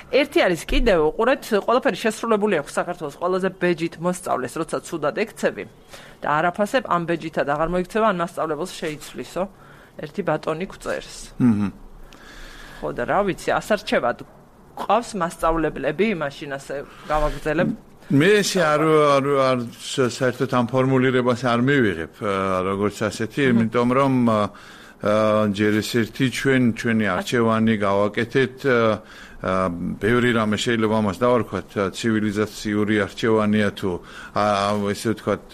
ერთი არის კიდევ, უყურეთ, ყველაფერი შესრულებული აქვს საქართველოს ყველაზე ბეჯით მოსწავლეს, როცა ცუდად ექცევი და არაფასებ ამ ბეჯითად აღარ მოიქცევა, ან მასწავლებელს შეიცვლისო. ერთი ბატონი გვწერს. აჰა. ხო და რა ვიცი, ასარჩევად ყავს მასწავლებლები, მაშინ ასე გავაგრძელებ. მე ესე არ არ არ საერთოდ ამ ფორმულირებას არ მივიღებ როგორც ასეთი, იმიტომ რომ ჯერ ეს ერთი ჩვენ ჩვენი არჩევანი გავაკეთეთ ბევრი რამე შეიძლება ამას დავარქვათ ცივილიზაციური არჩევანია თუ ესე ვთქვათ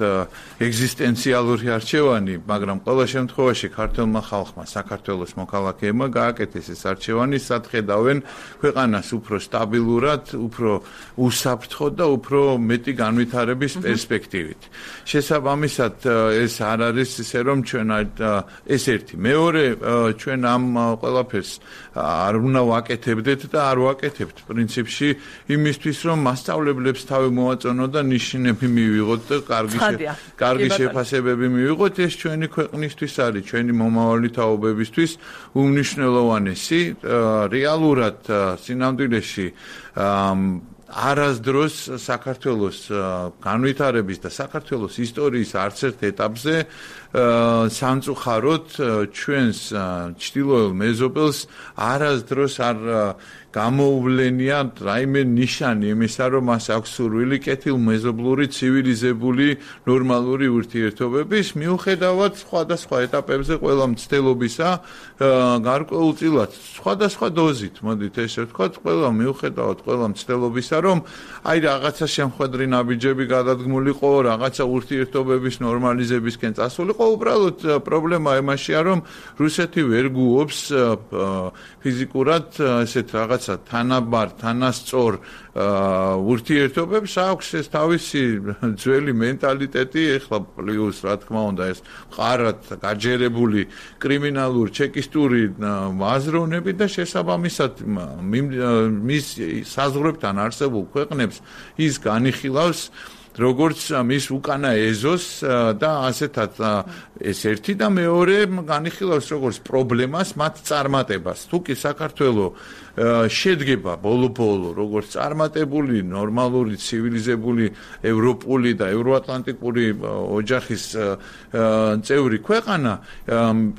ეგზისტენციალური არჩევანი, მაგრამ ყველა შემთხვევაში ქართულმა ხალხმა, საქართველოს მოქალაქეებმა გააკეთეს ეს არჩევანი, სადხედავენ ქვეყანას უფრო სტაბილურად, უფრო უსაფრთხოდ და უფრო მეტი განვითარების პერსპექტივით. შესაბამისად ეს არ არის ისე რომ ჩვენ ეს ერთი, მეორე ჩვენ ამ ყველაფერს არ უნდა ვაკეთებდეთ და არ ვაკეთებთ პრინციპში იმისთვის რომ მასწავლებლებს თავი მოაწონო და ნიშნები მივიღოთ და კარგი კარგი შეფასებები მივიღოთ, ეს ჩვენი ქვეყნისთვის არის, ჩვენი მომავალი თაობებისთვის უმნიშვნელოვანესი. რეალურად სინამდვილეში არასდროს საქართველოს განვითარების და საქართველოს ისტორიის არც ერთ ეტაპზე სამწუხაროდ ჩვენს ჩtildeოელ მეზობელს არასდროს არ გამოუვლენია რაიმე ნიშანი იმისა, რომ მას აქვს სურვილი კეთილმეზობლური, ცივილიზებული, ნორმალური ურთიერთობების, მიუხედავად სხვადასხვა ეტაპებზე ყველა მცდელობისა, გარკვეულწილად სხვადასხვა დოზით, მოდით ესე ვთქვათ, ყველა მიუხედავად ყველა მცდელობისა, რომ აი რაღაცა შემხვედრი ნაბიჯები გადადგმულიყო, რაღაცა ურთიერთობების ნორმალიზებისკენ წასულიყო, უბრალოდ პრობლემა იმაშია, რომ რუსეთი ვერ გუობს ფიზიკურად ესეთ რაღაც თანაბარ, თანასწორ ურთიერთობებს აქვს ეს თავისი ძველი მენტალიტეტი, ეხლა პლუს რა თქმა უნდა ეს მყარად გაჯერებული კრიმინალურ ჩეკისტური აზროვნები და შესაბამისად მის საზღვრებთან არსებულ ქვეყნებს ის განიხილავს როგორც მის უკანა ეზოს და ასეთად ეს ერთი და მეორე განიხილავს როგორც პრობლემას მათ წარმატებას. თუ კი საქართველოს შედგება ბოლო-ბოლო როგორც წარმატებული, ნორმალური, ცივილიზებული, ევროპული და ევროატლანტიკური ოჯახის წევრი ქვეყანა,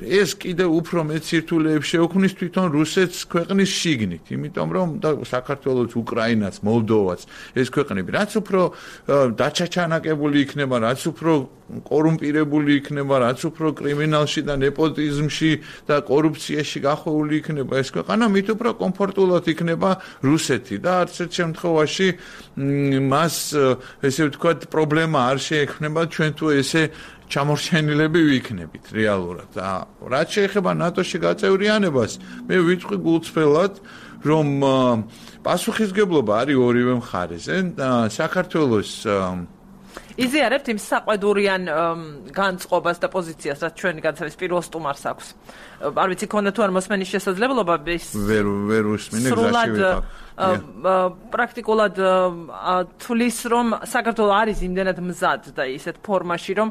ეს კიდევ უფრო მეტ სირთულეებს შეუქმნის თვითონ რუსეთს ქვეყნის შიგნით, იმიტომ რომ საქართველოს, უკრაინაც, მოლდოვაც ეს ქვეყნები რაც უფრო დაჩაჩანაკებული იქნება, რაც უფრო კორუმპირებული იქნება, რაც უფრო კრიმინალში და ნეპოტიზმში და კორუფციაში გახვეული იქნება ეს ქვეყანა, მით უფრო კომფორტულად იქნება რუსეთი და არც ერთ შემთხვევაში მას ესე ვთქვათ პრობლემა არ შეექმნება ჩვენ თუ ესე ჩამორჩენილები ვიქნებით რეალურად. რაც შეეხება ნატოში გაწევრიანებას, მე ვიტყვი გულწრფელად, რომ პასუხისგებლობა არის ორივე მხარეზე. საქართველოს იზიარებთ იმ საყვედურიან განწყობას და პოზიციას, რაც ჩვენი განცემის პირველ სტუმარს აქვს. არ ვიცი, ქონდა თუ არ მოსმენის შესაძლებლობა ის ვერ ვერ უსმინე გზაში ვიყავ. პრაქტიკულად თulis რომ საქართველოს არის იმდენად მზად და ისეთ ფორმაში რომ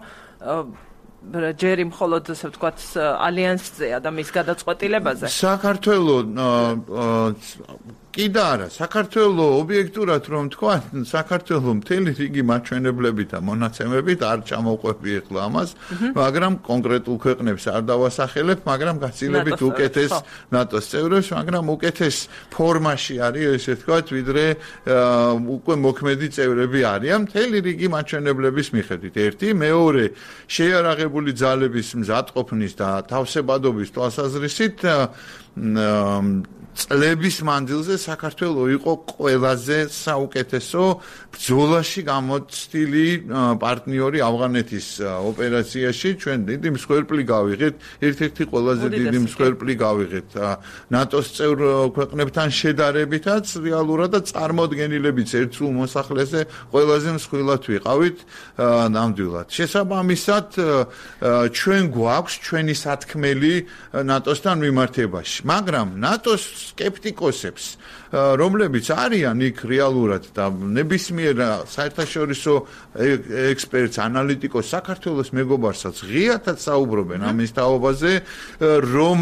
ჯერი მხოლოდ ასე ვთქვათ ალიანსზეა და მის გადაწყვეტილებაზე. საქართველოს კიდე არა, საქართველოს ობიექტურად რომ თქვა, საქართველოს მთელი რიგი მაჩვენებლებით და მონაცემებით არ ჩამოვყვები ახლა ამას, მაგრამ კონკრეტულ ქვეყნებს არ დავასახელებ, მაგრამ გაცილებით უკეთეს ნატოს წევრებს, მაგრამ უკეთეს ფორმაში არის ესე ვთქვათ, ვიდრე უკვე მოქმედი წევრები არიან მთელი რიგი მაჩვენებლების მიხედვით. ერთი, მეორე, შეიარაღებული ძალების მზადყოფნის და თავსებადობის თვალსაზრისით წლების მანძილზე საქართველო იყო ყველაზე საუკეთესო ბრძოლაში გამოცდილი პარტნიორი ავღანეთის ოპერაციაში. ჩვენ დიდი მსხვერპლი გავიღეთ, ერთ-ერთი ყველაზე დიდი მსხვერპლი გავიღეთ ნატოს წევრ ქვეყნებთან შედარებითაც, რეალურად და წარმოდგენილებიც ერთ სულ მოსახლეზე ყველაზე მსხვილად ვიყავით ნამდვილად. შესაბამისად, ჩვენ გვაქვს ჩვენი სათქმელი ნატოსთან მიმართებაში, მაგრამ ნატოს სკეპტიკოსებს, რომლებიც არიან იქ რეალურად და ნებისმიერ საერთაშორისო ექსპერტს, ანალიტიკოს, საქართველოს მეგობარსაც ღიათად საუბრობენ ამის თაობაზე, რომ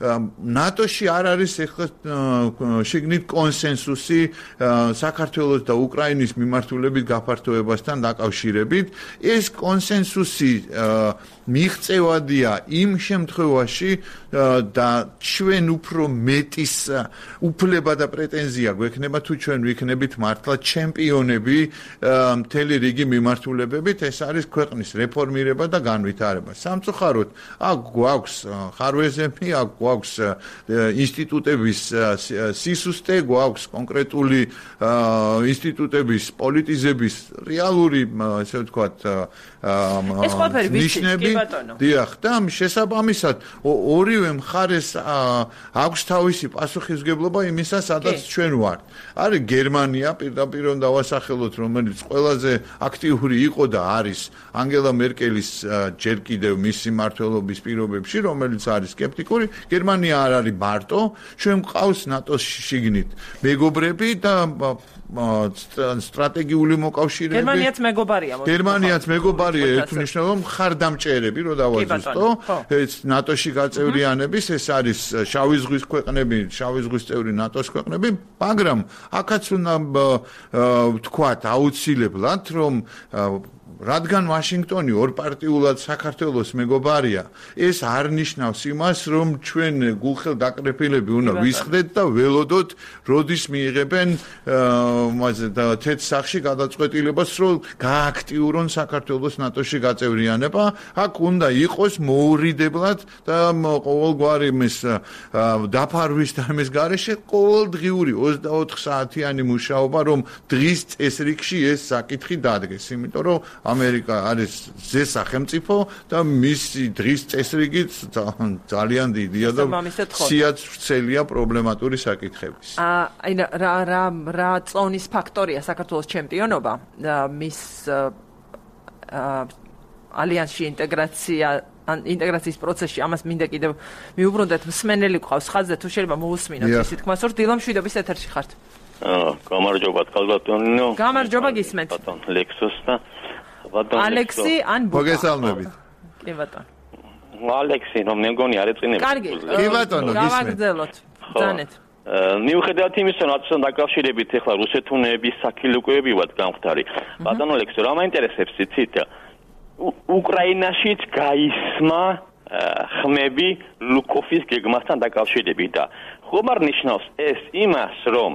ნატოში არ არის ეხლა შიგნით კონსენსუსი საქართველოს და უკრაინის მიმართულებით გაფართოებასთან დაკავშირებით. ეს კონსენსუსი მიღწევადია იმ შემთხვევაში და ჩვენ უფრო მეტის უფლება და პრეტენზია გვექნება თუ ჩვენ ვიქნებით მართლა ჩემპიონები მთელი რიგი მიმართულებებით. ეს არის ქვეყნის რეფორმირება და განვითარება. სამწუხაროდ აქ გვაქვს ხარვეზები, აქ გვაქვს ინსტიტუტების სისუსტე, გვაქვს კონკრეტული ინსტიტუტების პოლიტიზების რეალური, ესე ვთქვათ, ნიშნები. დიახ, და შესაბამისად ორივე მხარეს აქვს თავისი პასუხისმგებლობა იმისა, სადაც ჩვენ ვართ. არის გერმანია, პირდაპირ უნდა დავასახელოთ, რომელიც ყველაზე აქტიური იყო და არის ანგელა მერკელის ჯერ კიდევ მისი მმართველობის პირობებში, რომელიც არის სკეპტიკური. გერმანია არ არის მარტო, ჩვენ გვყავს ნატოს შიგნით მეგობრები და სტრატეგიული მოკავშირეები. გერმანიაც მეგობარია. გერმანიაც მეგობარია, ერთ მნიშვნელოვან მხარდამჭერები, რო დავაზუსტო, ეს ნატოში გაწევრიანების, ეს არის შავი ზღვის ქვეყნები, შავი ზღვის წევრი ნატოს ქვეყნები, მაგრამ აქაც უნდა ვთქვათ აუცილებლად, რომ რადგან ვაშინგტონი ორპარტიულად საქართველოს მეგობარია, ეს არ ნიშნავს იმას, რომ ჩვენ გულხელ დაკრეფილები უნდა ვისხდეთ და ველოდოთ, როდის მიიღებენ მასე და თეთ სახში გადაწყვეტილებას, რომ გააქტიურონ საქართველოს ნატოში გაწევრიანება. აქ უნდა იყოს მოურიდებლად და ყოველგვარი მის დაფარვის და მის გარეშე ყოველდღიური ოცდაოთხ საათიანი მუშაობა, რომ დღის წესრიგში ეს საკითხი დადგეს, იმიტომ რომ ამერიკა არის ზე სახელმწიფო და მისი დღის წესრიგით ძალიან დიდია და სიაც ვრცელია პრობლემატური საკითხების. აი რა რა რა წონის ფაქტორია საქართველოს ჩემპიონობა მის ალიანსში ინტეგრაცია ან ინტეგრაციის პროცესში ამას მინდა კიდევ მიუბრუნდეთ მსმენელი ყავს ხაზზე თუ შეიძლება მოусმინოთ ისე თქმა სურთ დილა მშვიდობის ეთერში ხართ. გამარჯობა თქალბატონო. გამარჯობა გისმენთ. ბატონ ლექსოს და ალექსი ან ბუკა. მოგესალმებით. კი ბატონო. ალექსი, რომ მე მგონი არ ეწინებს. კარგი. კი ბატონო, გისმენთ. გავაგრძელოთ. ძანეთ. მიუხედავად იმისა, რომ დაკავშირებით ახლა რუსეთუნების საქილიკოები ვართ გამხდარი. ბატონო ლექსო, რა მაინტერესებს იცით? უკრაინაშიც გაისმა ხმები ლუკოფის გეგმასთან დაკავშირებით და ხომ არ ნიშნავს ეს იმას, რომ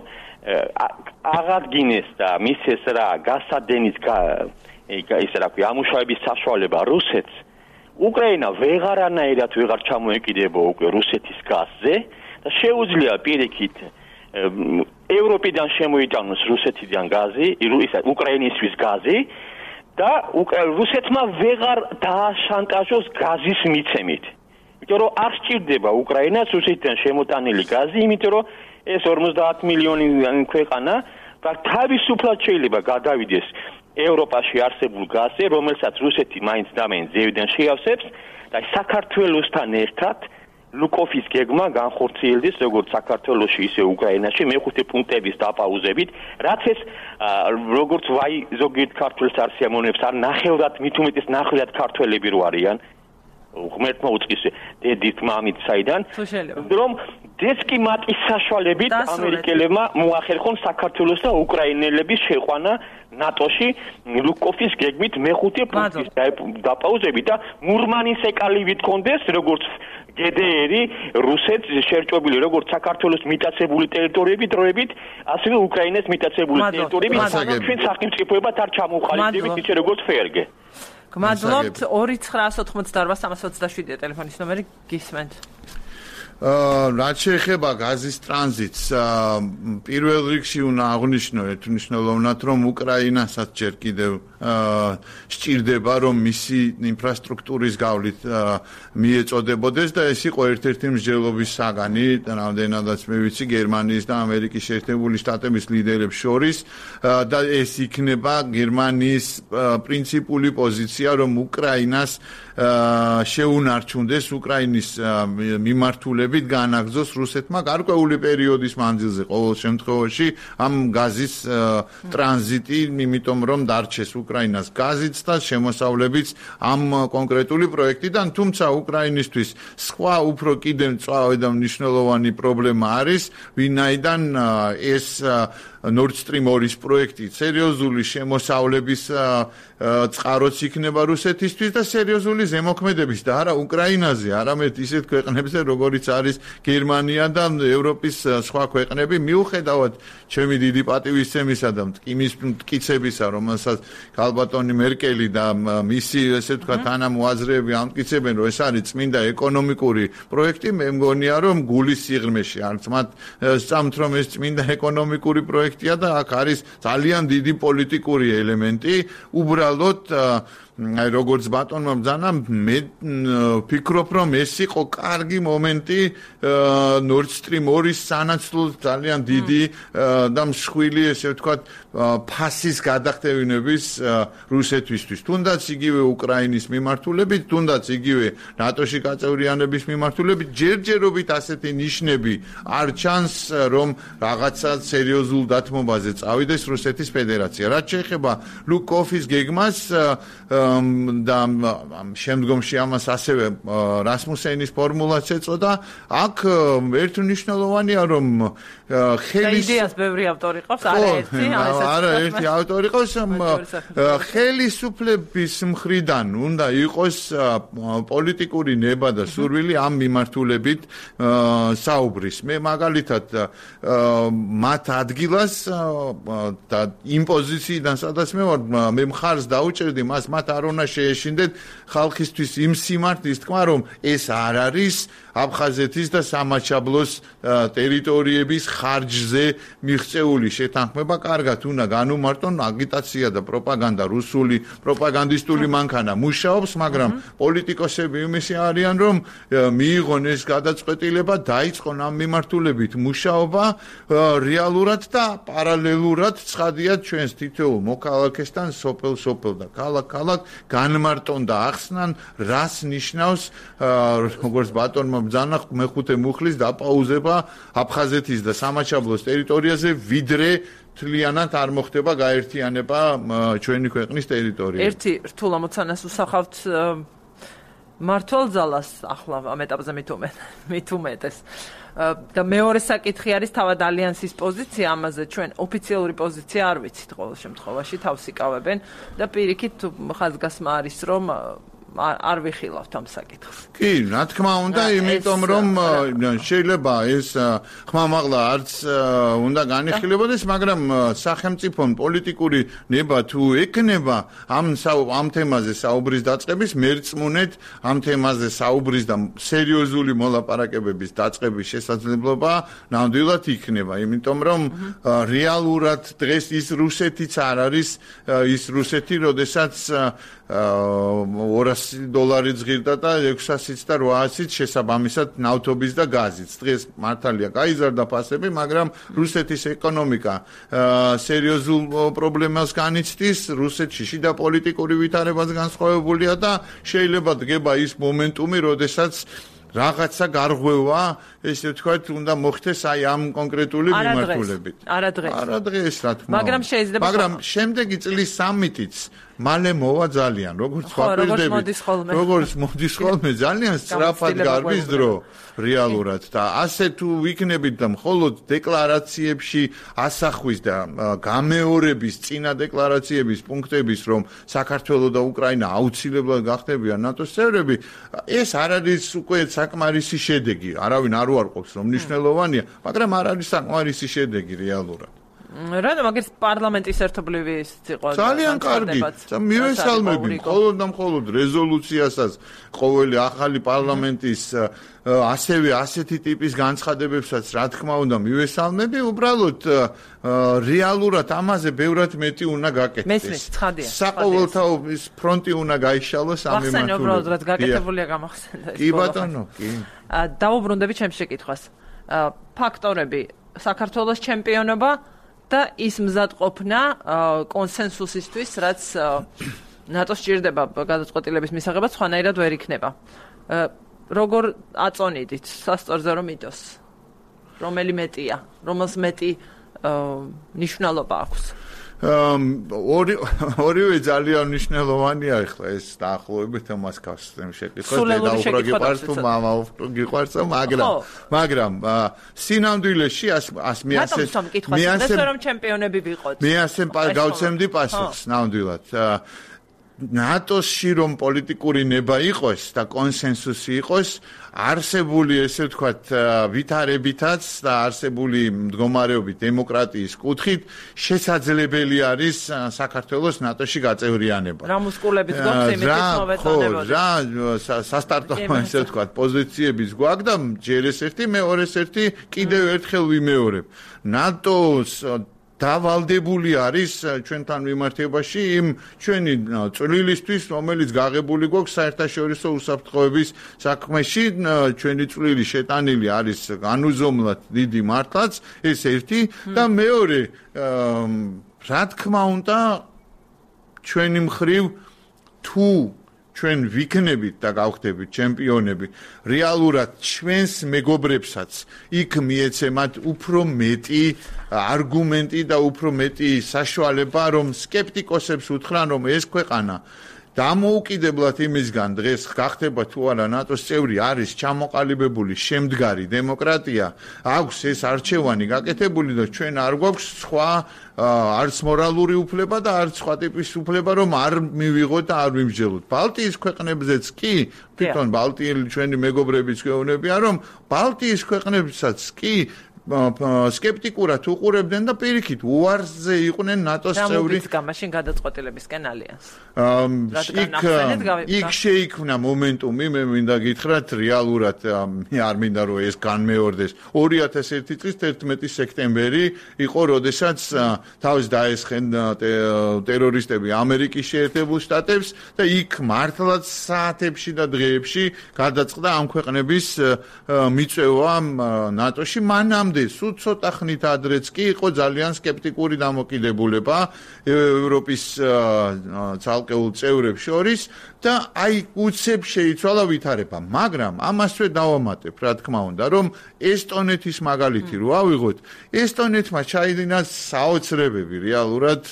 აღადგინეს და მისცეს რა გასადენის ის რა ქვია ამუშავების საშუალება რუსეთს, უკრაინა ვეღარანაირად ვეღარ ჩამოეკიდება უკვე რუსეთის გაზზე და შეუძლია პირიქით ევროპიდან შემოიტანოს რუსეთიდან გაზი, უკრაინისთვის გაზი და რუსეთმა ვეღარ დააშანტაჟოს გაზის მიცემით. იმიტომ რომ არ სჭირდება უკრაინას რუსეთიდან შემოტანილი გაზი, იმიტომ რომ ეს ორმოცდაათ მილიონი ქვეყანა თავისუფლად შეიძლება გადავიდეს ევროპაში არსებულ გაზზე, რომელსაც რუსეთი მაინც და მაინც ზევიდან შეავსებს და საქართველოსთან ერთად ლუკოფის გეგმა განხორციელდეს როგორც საქართველოში, ისე უკრაინაში მეხუთე პუნქტების დაპაუზებით, რაც ეს როგორც ვაი ზოგიერთ ქართველს არ სიამოვნებს, არ ნახევრად, მით უმეტეს ნახევრად ქართველები რო არიან, ღმერთმა უწყის დედით მამით საიდან, რომ დესკი მატის საშუალებით ამერიკელებმა მოახერხონ საქართველოს და უკრაინელების შეყვანა ნატოში ლუკოფის გეგმით მეხუთე პუნქტის დაპაუზებით და მურმანის ეკალივით კონდეს როგორც გე დე ერი რუსეთს შერჭობილი როგორც საქართველოს მიტაცებული ტერიტორიები დროებით, ასევე უკრაინას მიტაცებული ტერიტორიები, სადაც ჩვენ სახელმწიფოებად არ ჩამოვყალიბდებით ისე როგორც ფერგე. გმადლობთ ორი ცხრაასოთხმოცდაორვა სამას ოცდაშვიდია ტელეფონის ნომერი გისმენთ. რაც შეეხება გაზის ტრანზიტს, პირველ რიგში უნდა აღვნიშნო ერთმნიშვნელოვნად, რომ უკრაინასაც ჯერ კიდევ სჭირდება, რომ მისი ინფრასტრუქტურის გავლით მიეწოდებოდეს და ეს იყო ერთ-ერთი მსჯელობის საგანი, რამდენადაც მე ვიცი, გერმანიის და ამერიკის შეერთებული შტატების ლიდერებს შორის და ეს იქნება გერმანიის პრინციპული პოზიცია, რომ უკრაინას შეუნარჩუნდეს უკრაინის მიმართულებით განაგრძოს რუსეთმა გარკვეული პერიოდის მანძილზე ყოველ შემთხვევაში ამ გაზის ტრანზიტი, იმიტომ რომ დარჩეს უკრაინას გაზიც და შემოსავლებიც ამ კონკრეტული პროექტიდან, თუმცა უკრაინისთვის სხვა უფრო კიდევ მწვავე და მნიშვნელოვანი პრობლემა არის, ვინაიდან ეს Nord Stream ორი პროექტი სერიოზული შემოსავლების წყაროც იქნება რუსეთისთვის და სერიოზული ზემოქმედების და არა უკრაინაზე, არამედ ისეთ ქვეყნებზე, როგორიც არის გერმანია და ევროპის სხვა ქვეყნები, მიუხედავად ჩემი დიდი პატივისცემისა და მტკიცების მტკიცებისა, რომელსაც ქალბატონი მერკელი და მისი ესე ვთქვათ თანამოაზრეები ამტკიცებენ, რომ ეს არის წმინდა ეკონომიკური პროექტი, მე მგონია, რომ გულის სიღრმეში არც მათ სწამთ, რომ ეს წმინდა ეკონომიკური პროექტი და აქ არის ძალიან დიდი პოლიტიკური ელემენტი, უბრალოდ აი როგორც ბატონმა ბრძანა, მე ვფიქრობ, რომ ეს იყო კარგი მომენტი Nord Stream ორი სანაცვლოდ ძალიან დიდი და მსხვილი, ესე ვთქვათ, ფასის გადახდევინების რუსეთისთვის. თუნდაც იგივე უკრაინის მიმართულებით, თუნდაც იგივე ნატოში გაწევრიანების მიმართულებით, ჯერჯერობით ასეთი ნიშნები არ ჩანს, რომ რაღაცა სერიოზულ დათმობაზე წავიდეს რუსეთის ფედერაცია. რაც შეეხება ლუკოფის გეგმას და შემდგომში ამას ასევე რასმუსენის ფორმულაც ეწოდა, აქ ერთმნიშვნელოვანია, რომ ხელის იდეას ბევრი ავტორი ყავს, არა ერთი, არა ერთი ავტორი ყავს, ხელისუფლების მხრიდან უნდა იყოს პოლიტიკური ნება და სურვილი ამ მიმართულებით საუბრის. მე მაგალითად მათ ადგილას და იმ პოზიციიდან, სადაც მე ვარ, მე მხარს დაუჭერდი მას, მათ არ უნდა შეეშინდეთ ხალხისთვის იმ სიმართლის თქმა, რომ ეს არ არის აფხაზეთის და სამაჩაბლოს ტერიტორიების ხარჯზე მიღწეული შეთანხმება. კარგად უნდა განუმარტონ აგიტაცია და პროპაგანდა, რუსული პროპაგანდისტული მანქანა მუშაობს, მაგრამ პოლიტიკოსები იმისი არიან, რომ მიიღონ ეს გადაწყვეტილება, დაიწყონ ამ მიმართულებით მუშაობა რეალურად და პარალელურად ცხადიათ ჩვენს თითოეულ მოქალაქესთან სოფელ-სოფელ და ქალაქ-ქალაქ განმარტონ და ახსნან, რას ნიშნავს როგორც ბატონმა ბრძანა მეხუთე მუხლის დაპაუზება აფხაზეთის და სამაჩაბლოს ტერიტორიაზე, ვიდრე თლიანად არ მოხდება გაერთიანება ჩვენი ქვეყნის ტერიტორიაზე. ერთი რთულ ამოცანას უსახავთ მართლ ძალას ახლა ამ ეტაპზე მით უმეტეს. და მეორე საკითხი არის თავად ალიანსის პოზიცია ამაზე. ჩვენ ოფიციალური პოზიცია არ ვიცით ყოველ შემთხვევაში, თავს იკავებენ და პირიქით ხაზგასმა არის, რომ არ ვიხილავთ ამ საკითხს. კი, რა თქმა უნდა, იმიტომ რომ შეიძლება ეს ხმამაღლა არც უნდა განიხილებოდეს, მაგრამ სახელმწიფომ პოლიტიკური ნება თუ ექნება ამ ამ თემაზე საუბრის დაწყების, მერწმუნეთ ამ თემაზე საუბრის და სერიოზული მოლაპარაკებების დაწყების შესაძლებლობა ნამდვილად იქნება, იმიტომ რომ რეალურად დღეს ის რუსეთიც არ არის ის რუსეთი, როდესაც ორასი დოლარი ზღირდა და ექვსასიც და რვაასიც შესაბამისად ნავთობის და გაზიც. დღეს მართალია გაიზარდა ფასები, მაგრამ რუსეთის ეკონომიკა სერიოზულ პრობლემას განიცდის, რუსეთში შიდა პოლიტიკური ვითარებაც განსხვავებულია და შეიძლება დგება ის მომენტუმი, როდესაც რაღაცა გარღვევა, ესე ვთქვათ, უნდა მოხდეს აი ამ კონკრეტული მიმართულებით. არა დღეს. არა დღეს, რა თქმა უნდა. მაგრამ შეიძლება მაგრამ შემდეგი წლის სამიტიც მალე მოვა ძალიან, როგორც ვაპირდებით, როგორც მოდის ხოლმე, ძალიან სწრაფად გარბის დრო რეალურად და ასე თუ ვიქნებით და მხოლოდ დეკლარაციებში ასახვის და გამეორების წინა დეკლარაციების პუნქტების, რომ საქართველოს და უკრაინა აუცილებლად გახდებიან ნატოს წევრები, ეს არ არის უკვე საკმარისი შედეგი. არავინ არ უარყოფს, რომ მნიშვნელოვანია, მაგრამ არ არის საკმარისი შედეგი რეალურად. რადგან მაგის პარლამენტის ერთობლივის იყო ძალიან კარგი. მივესალმები მხოლოდ და მხოლოდ რეზოლუციასაც ყოველი ახალი პარლამენტის ასევე ასეთი ტიპის განცხადებებსაც რა თქმა უნდა მივესალმები, უბრალოდ რეალურად ამაზე ბევრად მეტი უნდა გაკეთდეს. მესმის, ცხადია. საყოველთაო ის ფრონტი უნდა გაიშალოს ამ მიმართულებით. ახსენე უბრალოდ რაც გაკეთებულია გამახსენდა ეს. კი ბატონო, კი. დაუბრუნდები ჩემს შეკითხვას. ფაქტორები საქართველოს ჩემპიონობა და ის მზადყოფნა კონსენსუსისთვის, რაც ნატოს ჭირდება გადაწყვეტილების მისაღებად, სხვანაირად ვერ იქნება. როგორ აწონიდით სასწორზე რომ იდოს? რომელი მეტია? რომელს მეტი ნიშნულობა აქვს? ორი ორივე ძალიან მნიშვნელოვანია ახლა ეს დაახლოებით ამას გასცემ შეკითხვა და უფრო გიყვარს თუ მამა გიყვარს მაგრამ მაგრამ სინამდვილეში ას მიასე მიასე რომ ჩემპიონები ვიყოთ მე ასე გავცემდი პასუხს ნამდვილად ნატოში რომ პოლიტიკური ნება იყოს და კონსენსუსი იყოს არსებული ესე ვთქვათ ვითარებითაც და არსებული მდგომარეობით დემოკრატიის კუთხით შესაძლებელი არის საქართველოს ნატოში გაწევრიანება. რა მუსკულებით გვაქვს იმითიც მოვეწონებოდი. რა სასტარტო ესე ვთქვათ პოზიციების გვაქვს და ჯერ ეს ერთი მეორეს ერთი კიდევ ერთხელ ვიმეორებ. ნატოს დავალდებული არის ჩვენთან მიმართებაში იმ ჩვენი წვლილისთვის, რომელიც გაღებული გვაქვს საერთაშორისო უსაფრთხოების საქმეში, ჩვენი წვლილი შეტანილი არის განუზომლად დიდი მართლაც, ეს ერთი და მეორე, რა თქმა უნდა, ჩვენი მხრივ თუ ჩვენ ვიქნებით და გავხდებით ჩემპიონები, რეალურად ჩვენს მეგობრებსაც იქ მიეცემათ უფრო მეტი არგუმენტი და უფრო მეტი საშუალება, რომ სკეპტიკოსებს უთხრან, რომ ეს ქვეყანა დამოუკიდებლად იმისგან დღეს გახდება თუ არა ნატოს წევრი არის ჩამოყალიბებული შემდგარი დემოკრატია, აქვს ეს არჩევანი გაკეთებული და ჩვენ არ გვაქვს სხვა არც მორალური უფლება და არც სხვა ტიპის უფლება რომ არ მივიღოთ და არ ვიმსჯელოთ. ბალტიის ქვეყნებზეც კი თვითონ ბალტიელი ჩვენი მეგობრებიც გვეუბნებიან რომ ბალტიის ქვეყნებსაც კი სკეპტიკურად უყურებდნენ და პირიქით უარზე იყვნენ ნატოს წევრი. რა მოგიწკა მაშინ გადაწყვეტილებისკენ ალიანს? იქ იქ შეიქმნა მომენტუმი, მე მინდა გითხრათ რეალურად მე არ მინდა რომ ეს განმეორდეს. ორი ათას ერთი წლის თერთმეტი სექტემბერი იყო, როდესაც თავის დაესხენ ტერორისტები ამერიკის შეერთებულ შტატებს და იქ მართლაც საათებში და დღეებში გადაწყდა ამ ქვეყნების მიწვევა ნატოში. მანამდე სულ ცოტა ხნით ადრეც კი იყო ძალიან სკეპტიკური დამოკიდებულება ევროპის ცალკეულ წევრებს შორის და აი უცებ შეიცვალა ვითარება, მაგრამ ამასვე დავამატებ, რა თქმა უნდა, რომ ესტონეთის მაგალითი რო ავიღოთ, ესტონეთმა ჩაიდინა საოცრებები რეალურად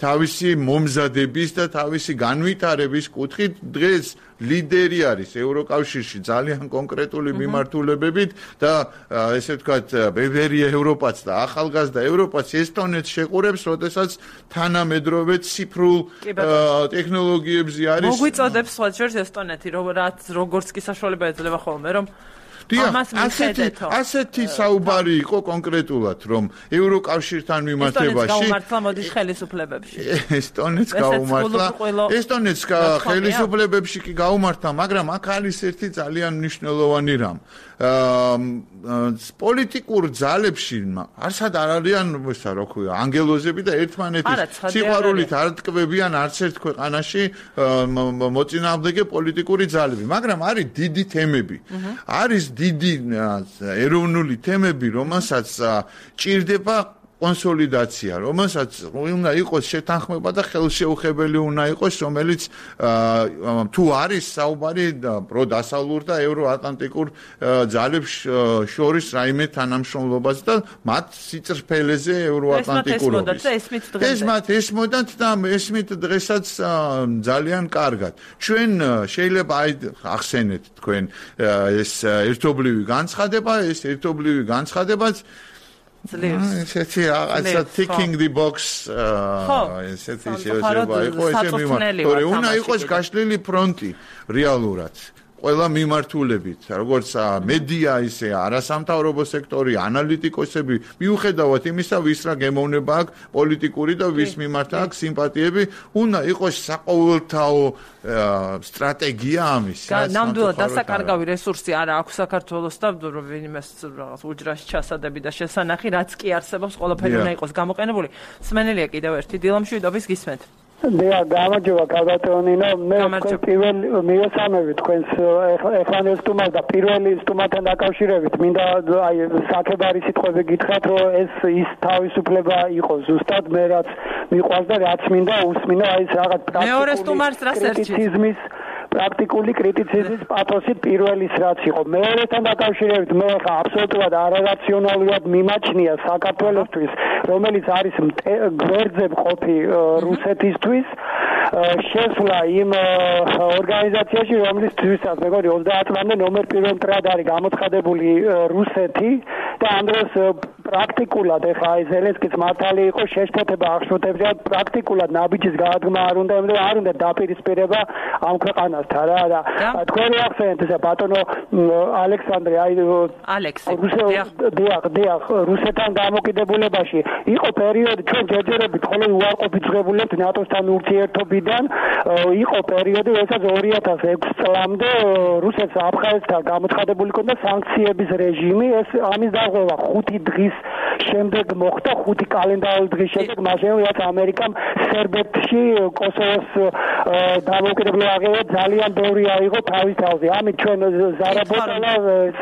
თავისი მომზადების და თავისი განვითარების კუთხით დღეს ლიდერი არის ევროკავშირში ძალიან კონკრეტული მიმართულებებით და ესე ვთქვათ ბევრია ევროპაც და ახალგაზრდა ევროპაც ესტონეთს შეყურებს, როდესაც თანამედროვე ციფრულ ტექნოლოგიებზე არის. მოგვიწოდებს სხვა შორის ესტონეთი, რაც როგორც კი საშუალება ეძლევა ხოლმე, რომ ამას მიხედეთ. ასეთი საუბარი იყო კონკრეტულად, რომ ევროკავშირთან მიმართებაში ესტონეთს გაუმართლა მოდის ხელისუფლებებში. ესტონეთს გაუმართლა. ესტონეთს ხელისუფლებებში კი გაუმართლა, მაგრამ აქ არის ერთი ძალიან მნიშვნელოვანი რამ. პოლიტიკურ ძალებში არსად არ არიან, ესა რა ქვია, ანგელოზები და ერთმანეთის სიყვარულით არ ტკბებიან არც ერთ ქვეყანაში მოწინააღმდეგე პოლიტიკური ძალები, მაგრამ არის დიდი თემები. არის დიდი ეროვნული თემები, რომელსაც ჭირდება კონსოლიდაცია, რომელსაც უნდა იყოს შეთანხმება და ხელშეუხებელი უნდა იყოს, რომელიც თუ არის საუბარი პროდასავლურ და ევროატლანტიკურ ძალებს შორის რაიმე თანამშრომლობაზე და მათ სიწრფელეზე ევროატლანტიკურობის. ეს მათ ესმოდათ და ესმით დღესაც ძალიან კარგად. ჩვენ შეიძლება აი ახსენეთ თქვენ ეს ერთობლივი განცხადება, ეს ერთობლივი განცხადებაც ესეთი რაღაცა ticking the box ესეთი შეიძლება იყოს ესე მიმართ. თორე უნდა იყოს გაშლილი ფრონტი რეალურად. ყველა მიმართულებით, როგორც მედია, ისე არასამთავრობო სექტორი, ანალიტიკოსები, მიუხედავად იმისა, ვის რა გემოვნება აქვს პოლიტიკური და ვის მიმართ აქვს სიმპათიები, უნდა იყოს საყოველთაო სტრატეგია ამის. ნამდვილად დასაკარგავი რესურსი არა აქვს საქართველოს და ვინმეს რაღაც უჯრაში ჩასადები და შესანახი, რაც კი არსებობს, ყველაფერი უნდა იყოს გამოყენებული. სმენელია კიდევ ერთი დილამშვიდობის გისმენთ. დიახ, გამარჯობა კალბატონინო, მე პირველ მიესალმები თქვენს ეხლანელ სტუმარს და პირველი სტუმართან დაკავშირებით მინდა აი საქებარი სიტყვები გითხრათ, რომ ეს ის თავისუფლება იყოს ზუსტად მე რაც მიყვარს და რაც მინდა უსმინო აი ეს რაღაც მეორე სტუმარს რას ერჩით? პრაქტიკული კრიტიციზმის პათოსით პირველის რაც იყო. მეორესთან დაკავშირებით მე ხა აბსოლუტურად არარაციონალურად მიმაჩნია საქართველოსთვის, რომელიც არის გვერდზე მყოფი რუსეთისთვის, შესვლა იმ ორგანიზაციაში, რომლისთვისაც მეგონი ოცდაათ წლამდე ნომერ პირველ მტრად არის გამოცხადებული რუსეთი და ამ დროს პრაქტიკულად ეხა აი ზელენსკის მართალი იყო შეშფოთება აღშფოთებს და პრაქტიკულად ნაბიჯის გადადგმა არ უნდა და არ უნდა დაპირისპირება ამ ქვეყანასთან რა და თქვენი ახსენეთ ესა ბატონო ალექსანდრე აი ალექსი დიახ დიახ რუსეთთან დამოკიდებულებაში იყო პერიოდი ჩვენ ჯერჯერობით ხოლმე უარყოფით ძღებულებთ ნატოსთან ურთიერთობიდან იყო პერიოდი როდესაც ორი ათას ექვსი წლამდე რუსეთს აფხაზეთთან გამოცხადებული ჰქონდა სანქციების რეჟიმი ეს ამის დაღუპვა ხუთი დღის შემდეგ მოხდა ხუთი კალენდარული დღის შემდეგ მაშინ რაც ამერიკამ სერბეთში კოსოვოს დამოუკიდებლობა აღიარა ძალიან ბევრი აიღო თავის თავზე ამით ჩვენ ზარაბოტალას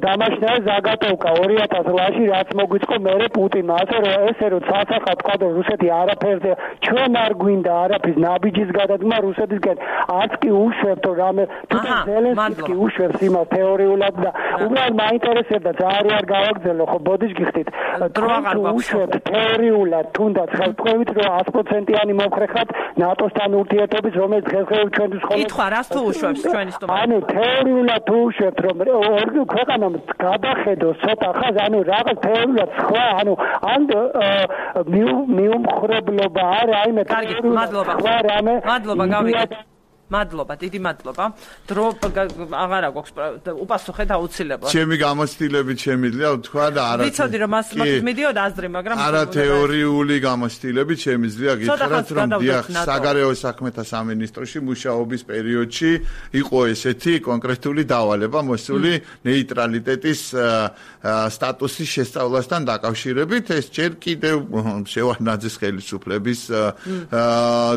დამაშნა ზაგატოვკა ორი ათას წლში რაც მოგვიწყო მერე პუტინმა ასე რომ ესე რომ სასახად თქვა რომ რუსეთი არაფერზე ჩვენ არ გვინდა არაფრის ნაბიჯის გადადგმა რუსეთისგან არც კი უშვებთ რომ რამე თვითონ ზელენსკი უშვებს იმას თეორიულად და უბრალოდ მაინტერესებდა ძალიან არ გავაგზელო ხო ბოდიშ გიხდით დროაღარ უშვებთ თეორიულად თუნდაც ხელთქვევით რომ ათი პროცენტიანი მომხრეხად ნატოსთან ურთიერთობის რომელიც დღესდღეობით ჩვენთვის ხოლმე კითხვა რას თუ უშვებს ჩვენი სტუმარი ანუ თეორიულად თუ უშვებთ რომ ქვეყანამ გადახედოს ცოტა ხაზ ანუ რაღაც თეორიულად სხვა ანუ ან მიუმხრებლობა არა აი მე თეორიულად მადლობა მადლობა გავიგეთ მადლობა, დიდი მადლობა. დრო აღარა გვაქვს უპასუხეთ აუცილებლად. ჩემი გამოცდილებით შემიძლია ვთქვა და არა. ვიცოდი რომ მას მიდიოდა აზრი, მაგრამ არა თეორიული გამოცდილებით შემიძლია გითხრათ რომ დიახ, საგარეო საქმეთა სამინისტროში მუშაობის პერიოდში იყო ესეთი კონკრეტული დავალება მოსული ნეიტრალიტეტის სტატუსის შესწავლასთან დაკავშირებით, ეს ჯერ კიდევ შევარდნაძის ხელისუფლების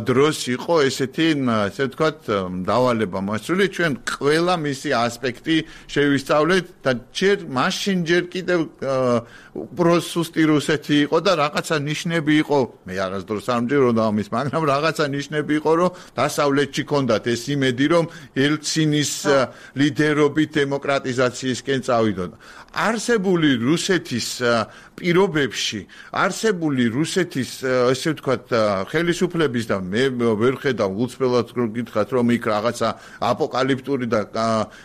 დროს იყო ესეთი, ასე ვთქვათ დავალება მოსული ჩვენ ყველა მისი ასპექტი შევისწავლეთ და ჯერ მაშინ ჯერ კიდევ უბრალოდ რუსეთი იყო და რაღაცა ნიშნები იყო მე არასდროს არ მჯეროდა ამის მაგრამ რაღაცა ნიშნები იყო რომ დასავლეთში ქონდათ ეს იმედი რომ ელცინის ლიდერობით დემოკრატიზაციისკენ წავიდოდა არსებული რუსეთის პირობებში არსებული რუსეთის ესე ვთქვათ ხელისუფლების და მე ვერ ხედავ უცბელად გითხრათ რომ იქ რაღაცა აპოკალიფტური და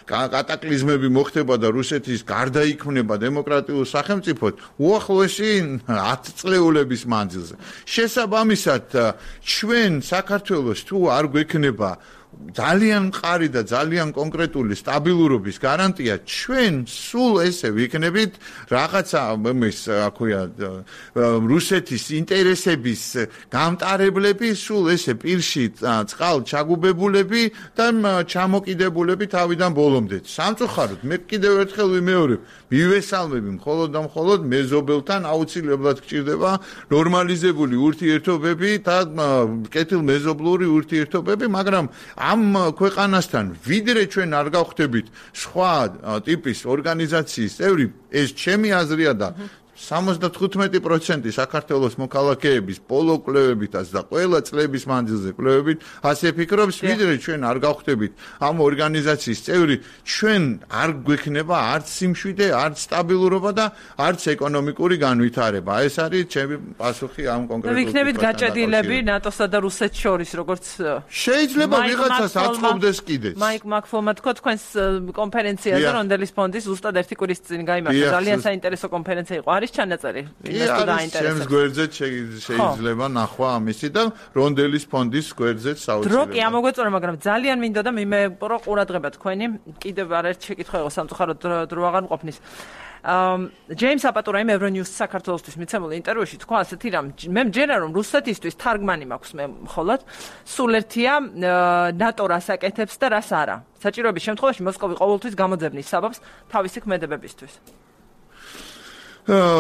კატაკლიზმები მოხდება და რუსეთის გარდაიქმნება დემოკრატიულ სახელმწიფოდ უახლოესი ათი წლეულების მანძილზე შესაბამისად ჩვენ საქართველოს თუ არ გვექნება ძალიან მყარი და ძალიან კონკრეტული სტაბილურობის გარანტია ჩვენ სულ ესე ვიქნებით რაღაცა მის აქვია რუსეთის ინტერესების გამტარებლები სულ ესე პირში წყალ ჩაგუბებულები და ჩამოკიდებულები თავიდან ბოლომდე სამწუხაროდ მე კიდევ ერთხელ ვიმეორებ მივესალმები მხოლოდ და მხოლოდ მეზობელთან აუცილებლად გჭირდება ნორმალიზებული ურთიერთობები და კეთილმეზობლური ურთიერთობები მაგრამ ამ ქვეყანასთან ვიდრე ჩვენ არ გავხდებით სხვა ტიპის ორგანიზაციის წევრი ეს ჩემი აზრია და სამოცდათხუთმეტი პროცენტი საქართველოს მოქალაქეების პოლო კვლევებითაც და ყველა წლების მანძილზე კვლევებით ასე ფიქრობს ვიდრე ჩვენ არ გავხდებით ამ ორგანიზაციის წევრი ჩვენ არ გვექნება არც სიმშვიდე არც სტაბილურობა და არც ეკონომიკური განვითარება ეს არის ჩემი პასუხი ამ კონკრეტულ ვიქნებით გაჭედილები ნატოსა და რუსეთს შორის როგორც შეიძლება ვიღაცას აწყობდეს კიდეც მაიკ მაკფოლმა თქვა თქვენს კონფერენციაზე რონდელის ფონდის ზუსტად ერთი კვირის წინ გაიმართა ძალიან საინტერესო კონფერენცია იყო არის ჩანაწერი? კი, არის ჩემს გვერდზე შეიძლება ნახვა ამისი და რონდელის ფონდის გვერდზეც საოცრად. დრო კი ამოგვეწონა, მაგრამ ძალიან მინდა და მიმეპრო ყურადღება თქვენი. კიდევ არაერთი შეკითხვა იყო სამწუხაროდ დრო აღარ მყოფნის. ჯეიმს აპატურაიმ ევრონიუს საქართველოსთვის მიცემულ ინტერვიუში თქვა ასეთი რამ, მე მჯერა რომ რუსეთისთვის თარგმანი მაქვს მე მხოლოდ, სულ ერთია ნატო რას აკეთებს და რას არა. საჭიროების შემთხვევაში მოსკოვი ყოველთვის გამოძებნის საბაბს თავისი ქმედებებისთვის.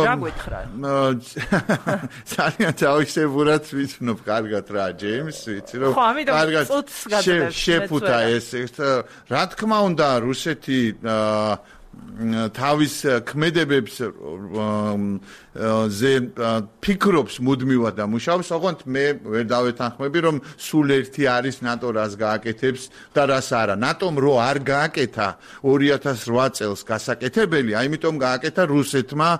რა გვითხრა? ძალიან თავისებურად ვიცნობ კარგად რა ჯეიმს, ვიცი რომ კარგად შეფუთა ეს. რა თქმა უნდა, რუსეთი თავის ქმედებებს ზე ფიქრობს მუდმივად და მუშაობს, ოღონდ მე ვერ დავეთანხმები რომ სულ ერთი არის ნატო რას გააკეთებს და რას არა. ნატომ რო არ გააკეთა ორი ათას რვა წელს გასაკეთებელი, აიმიტომ გააკეთა რუსეთმა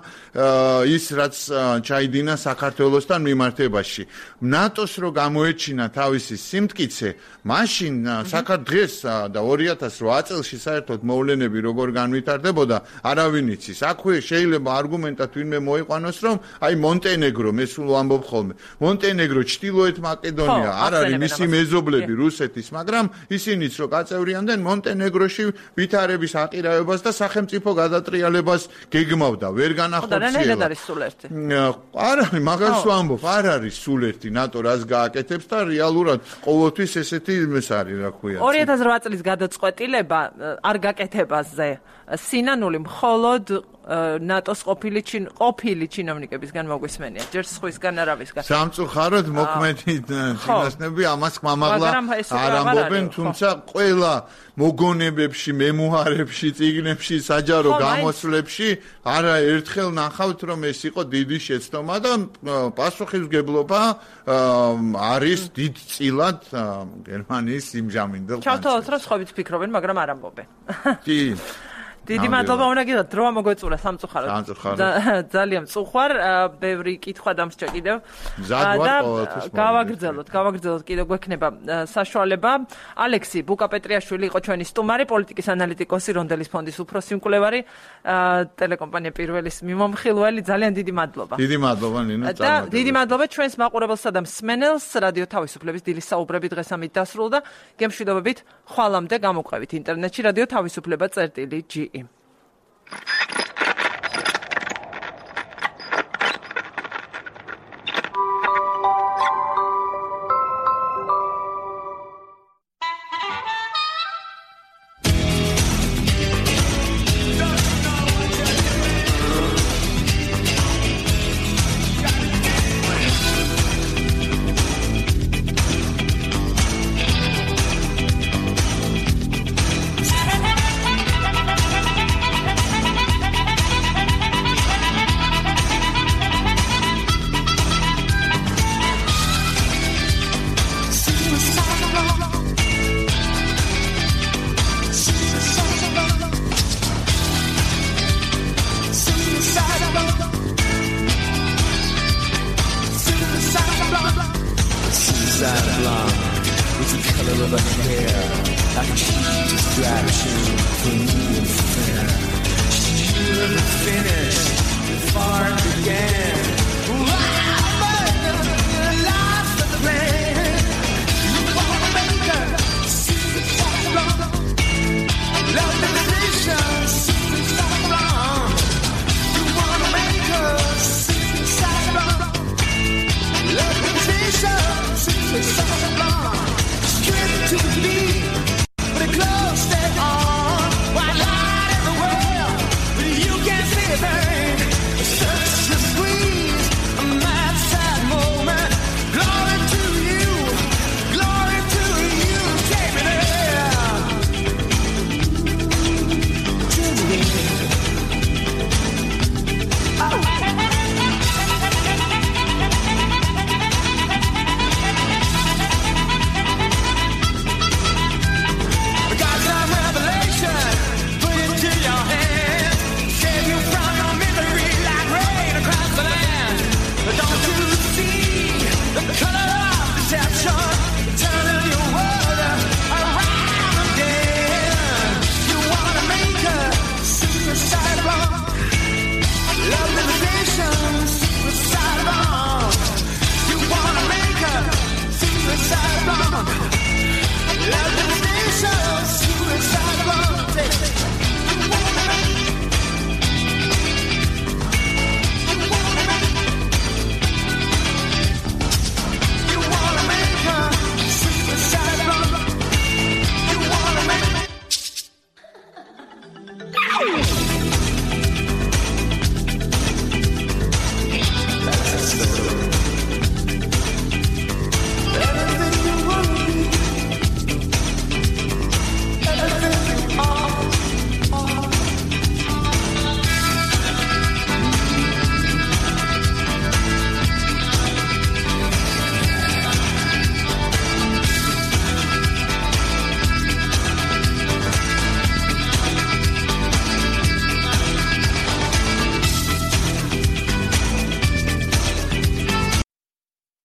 ის რაც ჩაიდინა საქართველოსთან მიმართებაში. ნატოს რო გამოეჩინა თავისი სიმტკიცე, მაშინ საქართველოს და ორი ათას რვა წელში საერთოდ მოვლენები როგორ განვითარდებოდა, არავინ იცის. აქვე შეიძლება არგუმენტად ვინმე მოიყვანოს რომ აი მონტენეგრო, მე სულ ვამბობ ხოლმე, მონტენეგრო, ჩრდილოეთ მაკედონია არ არის მისი მეზობლები რუსეთის, მაგრამ ისინიც რო გაწევრიანდნენ მონტენეგროში ვითარების აყირაებას და სახელმწიფო გადატრიალებას გეგმავდა, ვერ განახორციელა. რა არის სულ ერთი? არ არის, მაგას ვამბობ, არ არის სულ ერთი ნატო რას გააკეთებს და რეალურად ყოველთვის ესეთი იმეს არის, რა ქვია. ორი ათას რვა წლის გადაწყვეტილება არ გაკეთებაზე სინანული მხოლოდ ნატოს ყოფილი ჩინ ყოფილი ჩინოვნიკებისგან მოგვისმენია. ჯერ სხვისგან არავისგან. სამწუხაროდ მოქმედი ჩინოსნები ამას მამაღლა არ ამბობენ, თუმცა ყველა მოგონებებში, მემუარებში, წიგნებში, საჯარო გამოსვლებში არა ერთხელ ნახავთ რომ ეს იყო დიდი შეცდომა და პასუხისმგებლობა არის დიდწილად გერმანიის იმჟამინდელ ხანს. ჩავთვალოთ რომ სხვაებიც ფიქრობენ, მაგრამ არ ამბობენ. კი. დიდი მადლობა უნდა გითხრათ, დრო მოგვეწურა სამწუხაროდ. ძალიან მწუხვარ, ბევრი კითხვა დამსჭა კიდევ. და გავაგრძელოთ, გავაგრძელოთ კიდევ გვექნება საშუალება. ალექსი ბუკაპეტრიაშვილი იყო ჩვენი სტუმარი, პოლიტიკის ანალიტიკოსი, რონდელის ფონდის უფროსი მკვლევარი, ტელეკომპანია პირველის მიმომხილველი. ძალიან დიდი მადლობა. დიდი მადლობა ნინო. და დიდი მადლობა ჩვენს მაყურებელსა და მსმენელს. რადიო თავისუფლების დილის საუბრები დღეს ამით დასრულდა. გემშვიდობებით, ხვალამდე გამოყვებით ინტერნეტში რადიო თავისუფლება წერტილი ჯი. Finish, the far began.